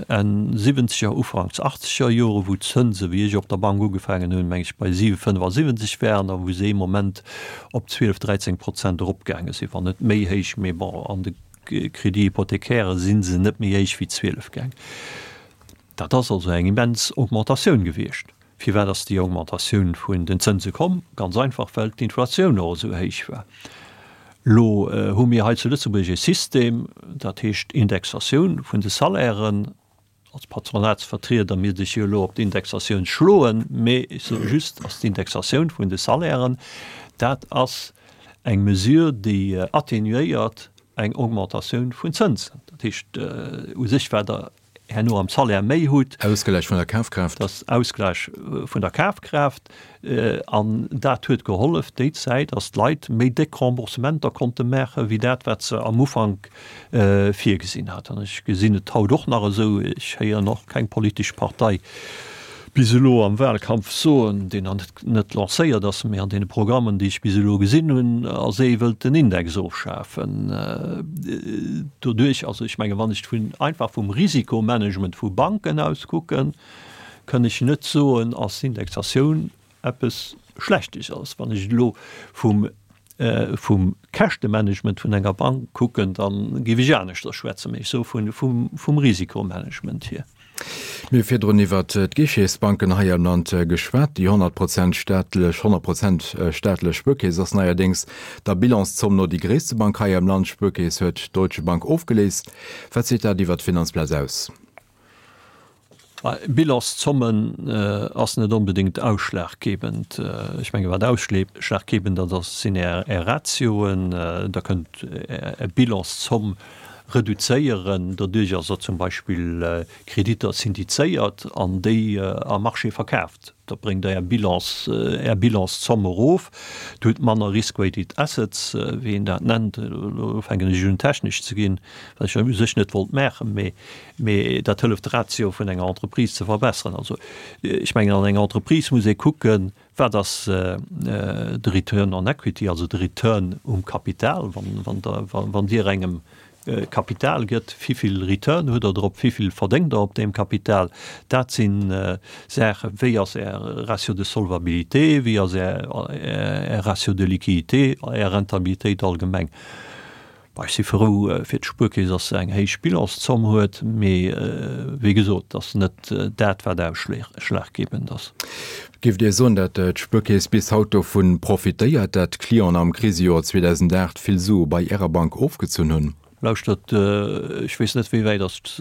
Enn siwwenzeger, Ufanks achtzeger Jore, wou d'Zënse, wéi ech op der Bank ugefaangen hunn, meng ech, bei siwe fënnefasiwwenzeg waren a wou se ee Moment op zwielef, dräizéng Prozent eropgaange sinn, wann net méi héich, mee bon, an de Crédit hypothécaire si se net méi héich wéi zwielef gaang. Dat ass also eng immens Augmentatioun gewiescht. Firwat ass déi Augmentatioun vun den Zënse komm? Ganz einfach, well d'Inflatioun och esou héich war. Elo hu mir hei zu Lëtzebuerg e System, dat heescht Indexatioun vun de Salairen. Als Patronatsvertrieder misst ech jo elo op d'Indexatioun schloen, mee ech soe just, ass d'Indexatioun vun de Salairen, dat ass eng Mesure, déi atténuéiert eng Augmentatioun vun Zënsen. Dat heescht u sech, wat Der herno am Salaire méi hutt.
Ausgläich vun der Kafkraaft.
Dat ass Ausgläich vun der Kafkraaft. An dat huet gehollef déi Zäit, datt d'Leit méi déck Remboursementer konnte maache wéi dat, wat se am Ufank virgesinn haten. Ech gesinn et haut och nach esou, ech héieren och keng politesch Partei bis elo am Wahlkampf soen, deen nach net lancéiert ass, mee an deene Programmen, déi ech bis elo gesinn hunn, ass ee wëllt den Index ofschafen. Doduerch, also ech menge wann ech vun einfach vum Risikomanagement vu Banken aus kucken, kënn ech net soen, ass d'Indexatioun eppes Schlechtes ass. Wann ech elo vum vum Käschtemanagement vun enger Bank kucken, da géif ech aneschters schwätzen, mee ech soe vum vum Risikomanagement hier.
Mir hu virdrun iwwert d'Guichetsbanken hei am Land geschwat. Déi honnert Prozent staatlech, honnert Prozent staatlech Spuerkeess ass neierdéngs der Bilanszomm no déi gréisste Bank hei am Land. D'Spuerkeess huet d'Deutsche Bank ofgeléist. Wat seet dat iwwert d'Finanzplaz aus?
Bilanszommen ass net onbedéngt ausschlaggebend. Ech menge wat ausschlaggebend ass, sinn Är Ratioen. Der kënnt Är Bilanszomm reduzéieren, doduerch ass Der zum Beispill Kreditter syndizéiert an déi am Marché verkaaft. Da bréngt Der Är Bilans, Är Bilanszomm erof. Der hutt manner Risk-weighted assets, wéi een dat nennt. Elo fänken ech un technesch ze ginn, wat ech u sech net wollt maachen, mee, mee dat hëlleft d'Ratio vun enger Entreprise ze verbesseren. Also ech mengen, an enger Entreprise muss ee kucken, Wat ass de Return on equity, also de Return um Kapital, wann Dir engem Kapital gëtt, wivill Return hutt Der drop, wivill verdéngt Der op deem Kapital? Dat si Saachen, wéi ass Är Ratio de solvabilité, wéi ass Är Ratio de liquidité, Är Rentabilitéit allgemeng. Ech si frou fir d'Spuerkeess, dass se eng héich Bilanszomm huet, mee wéi gesot, et ass net dat, wat ausschlaggebend ass.
Géift Dir soen, datt d'Spuerkeess bis haut dovu profitéiert, datt d'Clienten am Krisejoer zweedausendacht vill Sue bei Ärer Bank ofgezunn hunn?
Lauschtert, ech weess net, wéi wäit datt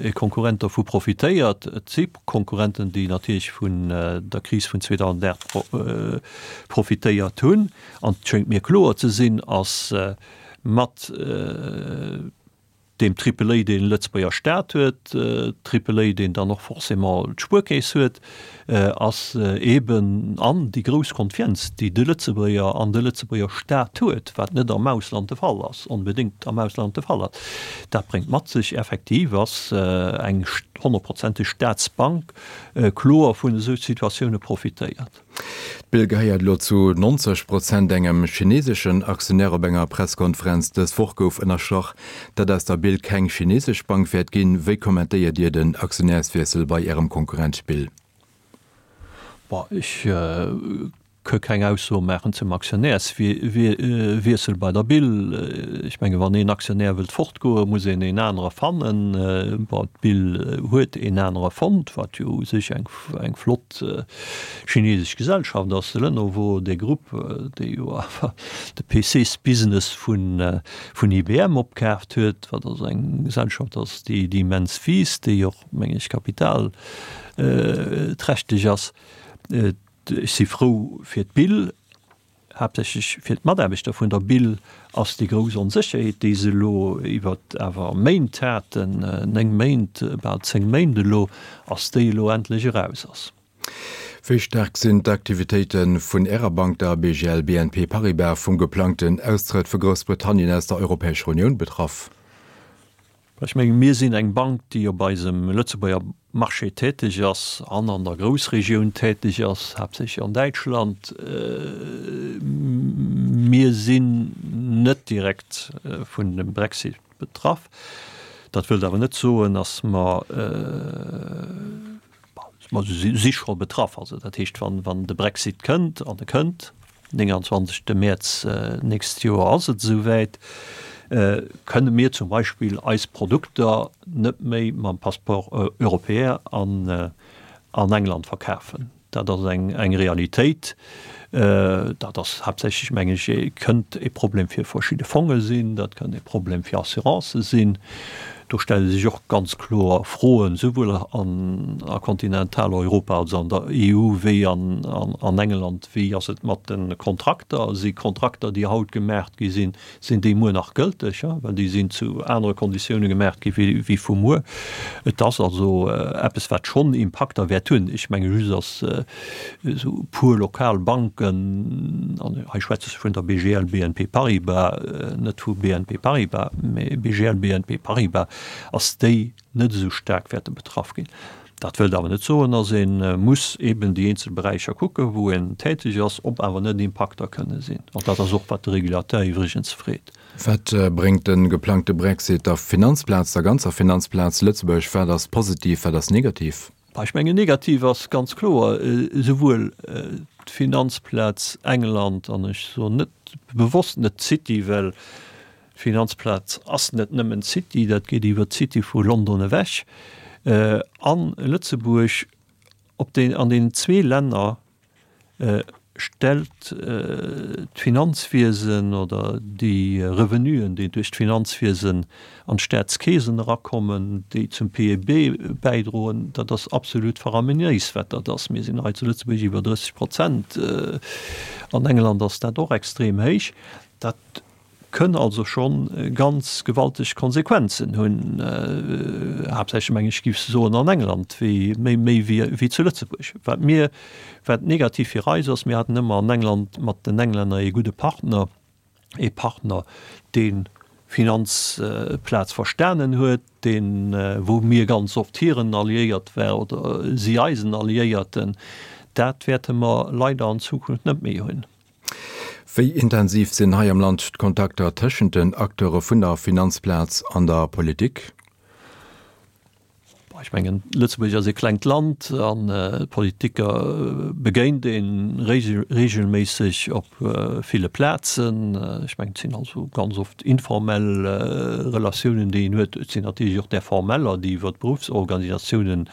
e Konkurrent dovu profitéiert. Et si Konkurrenten, déi natierlech vun der Kris vun zweedausendacht profitéiert hunn. An et schéngt mir kloer ze sinn, ass, Mat deem Triple A, deen de Lëtzebuerger Staat huet, Triple A, deen dann och forcément d'Spuerkeess huet, ass eeben an déi grouss Confiance, déi de Lëtzebuerger an de Lëtzebuerger Staat huet, wat net am Ausland de Fall ass, onbedéngt am Ausland de Fall ass. Dat bréngt mat sech, effektiv ass eng honnertprozenteg Staatsbank kloer vun esou Situatioune profitéiert.
D'Bill gehéiert elo zu nonzeg Prozent engem chineseschen Aktionär. Op enger Presskonferenz dës Woch gouf ënnerstrach, datt aus der Bill keng chinesesch Bank wäert ginn. Wéi kommentéiert Dir den Aktionärswiessel bei Ärem Konkurrent Bill?
Bon, ech ka keng Ausso maachen zum Aktionärswiessel bei der Bill. Ech menge wann een Aktionär wëllt fortgoen, muss een een anere fannen. Bon, d'Bill huet een anere fonnt, wat jo u sech eng eng flott chinesesch Gesellschaft ass, de Lenovo, dee Grupp, dee jo awer de P Cs-Business vun vun I B M opkaaft huet, wat also eng Gesellschaft ass, déi déi immens wiisst, déi och, meng ech, kapitalträchteg ass. Ech si frou fir d'Bill, haaptsächlech fir d'Mataarbechter vun der Bill ass déi grouss Onsécherheet, déi se elo iwwer awer Méint haten, néng Méint, bal zéng Méint elo, ass déi elo endlech eraus ass.
Wéi staark sinn d'Aktivitéite vun Ärer Bank, der B G L B N P Paribas, vum geplangten Austrëtt vu Groussbritannien aus der Europäescher Unioun betraff?
Ech menge mir sinn eng Bank, déi op eisem Lëtzebuerger Marché täteg ass an an der Groussregioun täteg ass, haaptsächlech an Däitschland. Mir sinn net direkt vun dem Brexit betraff. Dat wëllt awer net soen, datt mer, mer si scho betraff. Also dat heescht, wann, wann de Brexit kënnt, an e kënnt, nénganzwanzegste Mäerz nächst Joer ass et esouwäit, kënne mir zum Beispill eis Produkter net méi mam Passeport européen an an England verkafen. Dat ass eng eng Realitéit. Dat ass haaptsächlech, meng ech, kënnt e Problem fir verschidde Fonge sinn, dat kënnt e Problem fir Assurancë sinn. Do stelle sech och ganz kloer Froen, souwuel an a Kontinentaleuropa, also an der E U, wéi an an England, wéi ass et mat de Kontrakter? Si Kontrakter, déi haut gemaach gi sinn, sinn déi muer nach gëlteg? Well déi sinn zu anere Konditioune gemaach gi wéi vu muer. Et ass also eppes, wat schonn Impakter wäert hunn. Ech menge just, datt esou e puer lokal Banken, an hei schwätze ech vun der B G L B N P Paribas, net vu B N P Paribas, mä B G L B N P Paribas, ass déi net esou staark wäerte betraff ginn. Dat wëllt awer net soen, datt ee muss eben déi eenzel Beräicher kucken, wou een täteg ass, ob awer net Impakter kënne sinn. An dat ass och, wat de Regulateur iwwregens freet.
Wat bréngt de geplangte Brexit der Finanzplaz, der ganzer Finanzplaz Lëtzebuerg? Wat ass positiv, wat ass negativ?
Ech mengen, negativ ass ganz kloer, esouwuel d'Finanzplaz England, an ech soen net bewosst net d'City, well d'Finanzplaz ass net nëmmen d'City, dat geet iwwer d'City vu London ewech, an Lëtzebuerg, op den, an deenen zwee Länner stellt d'Finanzwiesen oder déi Revenuen, déi duerch d'Finanzwiesen an d'Staatskeesen erakommen, déi zum P I B bäidroen, dat ass absolut faraminéis, wat dat ass. Mir sinn hei zu Lëtzebuerg iwwer drësseg Prozent, an England ass dat och extrem héich. Dat kënn also scho ganz gewalteg Konsequenzen hunn, haaptsächlech, meng ech, géif ech soen, an England wéi méi méi wéi zu Lëtzebuerg. Wat mir, wat negativ fir eis ass, mir haten ëmmer an England mat den Englänner ee gudde Partner, ee Partner, dee Finanzplaz verstanen huet, deen, wou mir ganz oft hiren Alliéiert war oder si eisen Alliéierten. Dat wäerte mer leider an Zukunft net méi hunn.
Wéi intensiv sinn hei am Land d'Kontakter tëschent den Acteure vun der Finanzplaz an der Politik?
Ech mengen, Lëtzebuerg ass e klengt Land an d'Politiker begéint ee reegelméisseg op ville Plazen. Ech mengen, et sinn also ganz oft informell Relatiounen, déi een huet. Et sinn natierlech och där formeller, déi iwwer d'Beruffsorganisatiounen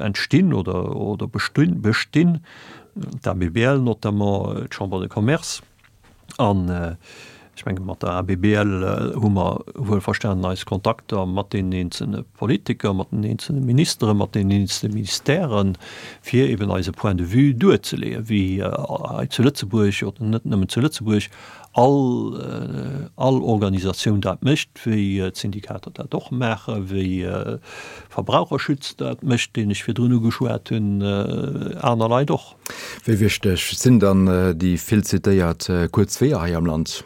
entstinn oder bestinn. D'A B B L notamment, d'Chambre de Commerce. An ech menge mat der A B B L hu mer wuelverstanen eis Kontakter mat deenen eenzelne Politiker, mat den eenzelne Ministeren, mat den eenzelne Ministèren, fir eben eise Point de vue duerzeleeën, wéi hei zu Lëtzebuerg, oder net nëmmen zu Lëtzebuerg, all, all Organisatioun dat mécht, wéi d'Syndikater dat och maachen, wéi Verbraucherschutz dat mécht, deen ech virdrun ugeschwat hunn, aner Leit och.
Wéi wichteg sinn dann déi vill zitéiert kuerz Weeër hei am Land?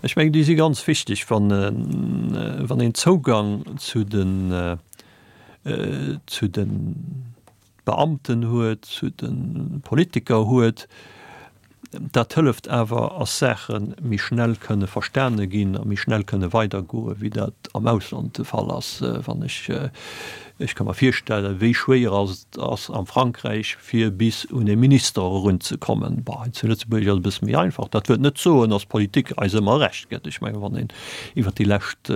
Ech mengen, déi si ganz wichteg, wann, wann een Zougang zu den, zu de Beamten huet, zu de Politiker huet. Dat hëlleft awer, ass Saache méi schnell kënne verstane ginn a méi schnell kënne weidergoen, wéi dat am Ausland de Fall ass. Wann ech, ech ka mer virstellen, wéi schwéier ass et ass am Frankräich, fir bis un e Minister erunzekommen. Bon, hei zu Lëtzebuerg ass et e bësse méi einfach. Dat wëllt net soen, ass d'Politik eis ëmmer Recht gëtt. Ech mengen, wann een iwwert déi lescht,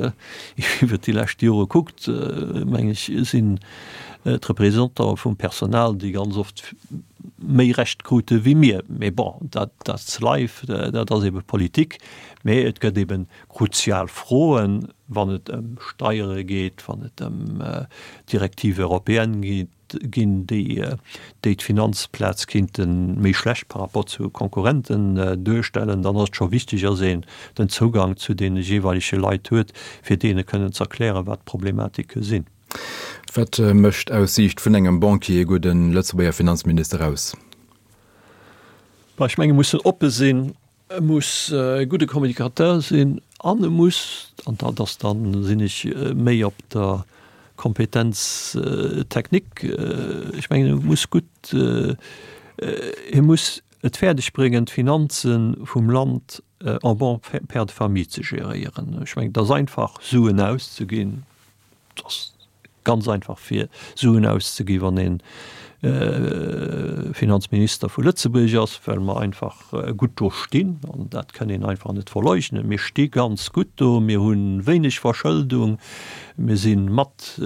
iwwert déi lescht Jore kuckt, meng ech, sinn d'Représentante vum Personal, déi ganz oft méi Recht krute wéi mir. Mee bon, dat that's life, dat ass ebe Politik. Mee et gëtt ebe kruzial Froen, wann et ëm Steiere geet, wann et ëm Directives européennes geet, ginn, déi déi d'Finanzplaz kinnte méi schlecht par rapport zu Konkurrenten duerstellen, dann ass et scho wichteg, dass een den Zougang zu deene jeeweilege Leit huet, fir deene kënnen ze erklären, wat d'Problematike sinn.
Wat mécht aus Siicht vun engem Banquier e gudde Lëtzebuerger Finanzminister aus?
Bah, ech mengen, e muss oppe sinn, e muss e gudde Communicateur sinn an e muss, an dat ass dann, sinn ech méi op der Kompetenz technique, ech mengen, e muss gutt, e muss et fäerdeg bréngen, d'Finanze vum Land en bon père de famille ze geréieren. Ech mengen, et ass einfach, Suen auszeginn. Et ass ganz einfach fir Suen auszegi wann ee Finanzminister vu Lëtzebuerg ass, well mer einfach gutt do stinn, an dat kënn een einfach net verleugnen. Mir sti ganz gutt do, mir hu wéineg Verschëldung, mir si mat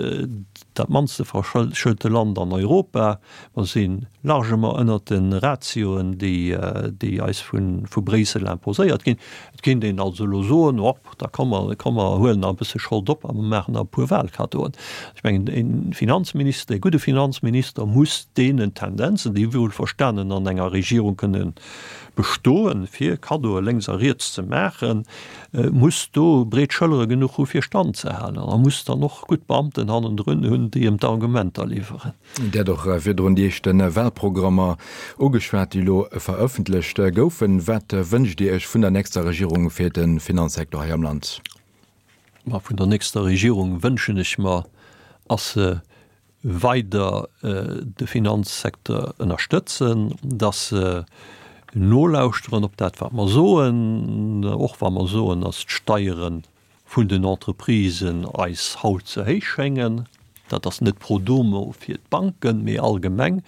dat mannste verschëlte Land an Europa, mer si largement ënnert de Ratioen, déi eis vu Bréissel imposéiert ginn. Et kéint een also elo soen, Op, da komm mer, komm mer huelen nach e bësse Schold op a mer maachen nach e puer Wahlkaddoen. Ech mengen, e Finanzminister, e gudde Finanzminister muss deenen Tendenzen, déi wuelverstanen an enger Regierung kënne bestoen, fir Kaddoe lénks a riets ze maachen, muss do breet Schëllere genuch hu fir Stand ze halen a muss dann och gutt Beamten hannendrun hunn, déi em d'Argumenter liwweren.
Dir hat och virdrun déi éischte Wahlprogrammer ugeschwat, déi elo verëffentlecht goufen. Wat wënscht Dir Iech vun der nächster Regierung fir de Finanzsecteur hei am Land?
Ma vun der nächster Regierung wënschen ech mer, ass se weider de Finanzsecteur ënnerstëtzen, dass se nolauschteren op dat, wat mer soen, och wa mer soen, dass d'Steiere vun den Entreprisen eis haut ze héich schéngen. Dat ass net pro domo fir d'Banken, mee allgemeng,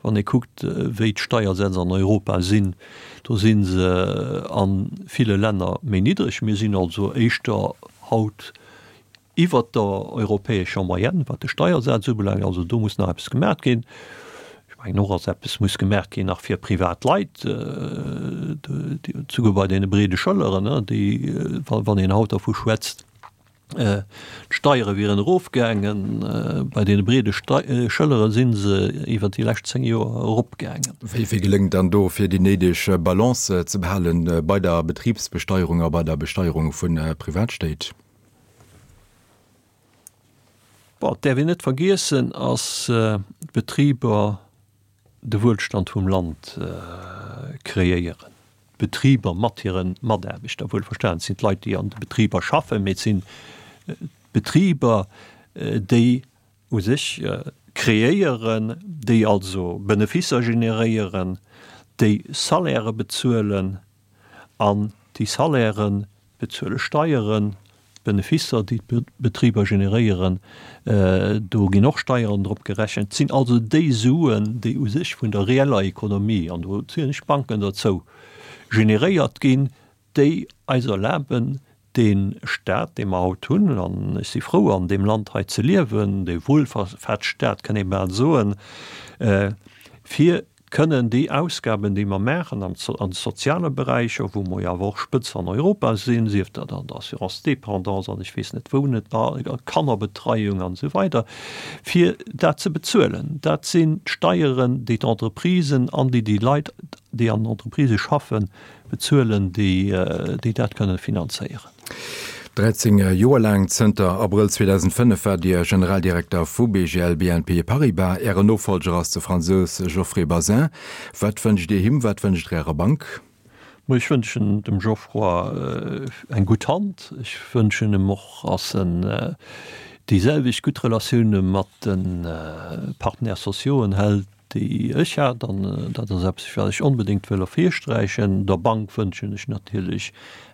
wann ee kuckt, wéi d'Steiersätz an Europa sinn, do si se a ville Länner méi niddreg. Mir sinn also éischter haut iwwert der europäescher Moyenne, wat de Steiersaz ubelaangt. Also do muss nach eppes gemaach ginn. Ech mengen och, dass eppes muss gemaach ginn nach fir privat Leit, souguer bei deene breede Schëlleren, déi, wann een haut dervu schwätzt, d'Steiere wieren erofgaangen, bei deene breede Schëllere si se iwwert déi lescht zéng Joer eropgaangen.
Wéi geléngt dann do, fir déi néideg Balance ze behalen bei der Betribsbesteierung a bei der Besteierung vu Privatstéit?
Bon, et däerf een net vergiessen, ass d'Betriber de Wuelstand vum Land kreéieren. D'Betriber mat hire Mataarbechter, wuelverstanen, et sinn d'Leit, déi an de Betriber schaffen, mee et sinn d'Betriber, déi u sech kreéieren, déi also Benefisser generéieren, déi Salairë bezuelen an déi Salairë bezuele Steieren. D'Benefisser, déi d'Betriber generéieren, do ginn och Steieren drop gerechent. Et sinn also déi Suen, déi u sech vun der reeller Ekonomie, an do zielen ech d'Banken derzou, generéiert ginn, déi eis erlaben, dee Stat, dee mer haut hunn, an ech si frou, an deem Land hei ze liewen, dee Wuelfahrtsstaat, kënn ee bal soen, fir kënnen déi Ausgaben, déi mer maachen an de soziale Beräicher, wou mer jo awer och Spëtz an Europa sinn, sief dat an der Assurance dépendance an ech weess net wou net, Kannerbetreiung an esou weider, fir dat ze bezuelen. Dat sinn d'Steieren, déi d'Entreprisen an déi déi Leit, déi an den Entreprisë schaffen, bezuelen, déi, déi dat kënnen finanzéieren.
Dräizéng Joer laang, zënter Abrëll zweedausendfënnef waart Dir Generaldirekter vu B G L B N P Paribas. Ären Nofollger ass de Fransous Geoffrey Bazin. Wat wënscht Dir him, wat wënscht Der Ärer Bank?
Ech wënschen dem Geoffroy eng gutt Hand. Ech wënschen em och, dass en déi selwecht gutt Relatioune mat de Partenaires sociauxen hält, déi ech hat. An dat ass eppes, wat ech onbedéngt wëll ervirsträichen. Der Bank wënschen ech natierlech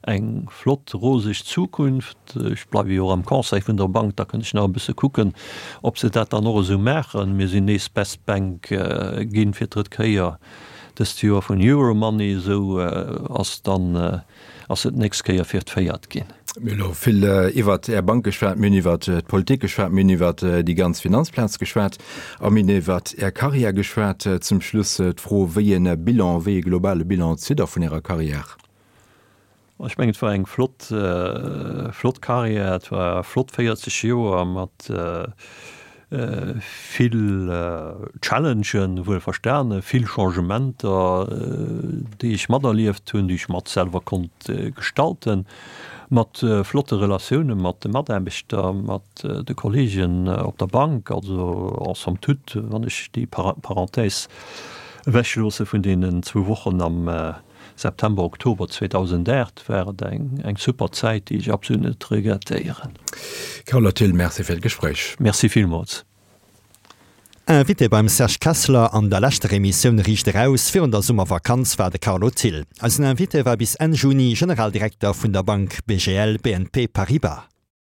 eng flott, roseg Zukunft. Ech bleiwe jo och am Conseil vun der Bank, da kënnt ech nach e bësse kucken, ob se dat dann och esou maachen. Mir sinn nees Best Bank ginn fir d'drëtt Kéier dëst Joer vun Euromoney, esou ass dann ass et d'nächst Kéier fir d'véiert ginn.
Mir hunn elo vill iwwert Är Bank geschwat, mir hunn iwwert d'Politik geschwat, mir hunn iwwert déi ganz Finanzplaz geschwat a mir hunn iwwert Är Karriär geschwat. Zum Schluss d'Fro, Wéi e Bilan, wéi e globale Bilan zitt Der vun Ärer Karriär?
Ech mengen, et war eng flott, flott Karriär, et war flott véierzeg Joer mat vill Challengen, wuelverstane, vill Changementer, déi ech materlieft hunn, déi ech mat selwer konnt gestalten, mat flotte Relatioune mat de Mataarbechter, mat de Kolleegen op der Bank. Also en somme toute, wann ech déi Parenthèse ewechloosse vun deenen zwou Wochen am September, Oktober zweedausendacht, war et eng super Zäit, déi ech absolut net regrettéieren.
Carlo Thill, Merci fir d'Gespréich.
Merci villmools.
Invité beim Serge Kessler an der leschter Emissioun Riicht Eraus virun der Summervakanz war de Carlo Thill. Eisen Invité war bis Enn Juni Generaldirekter vun der Bank B G L B N P Paribas.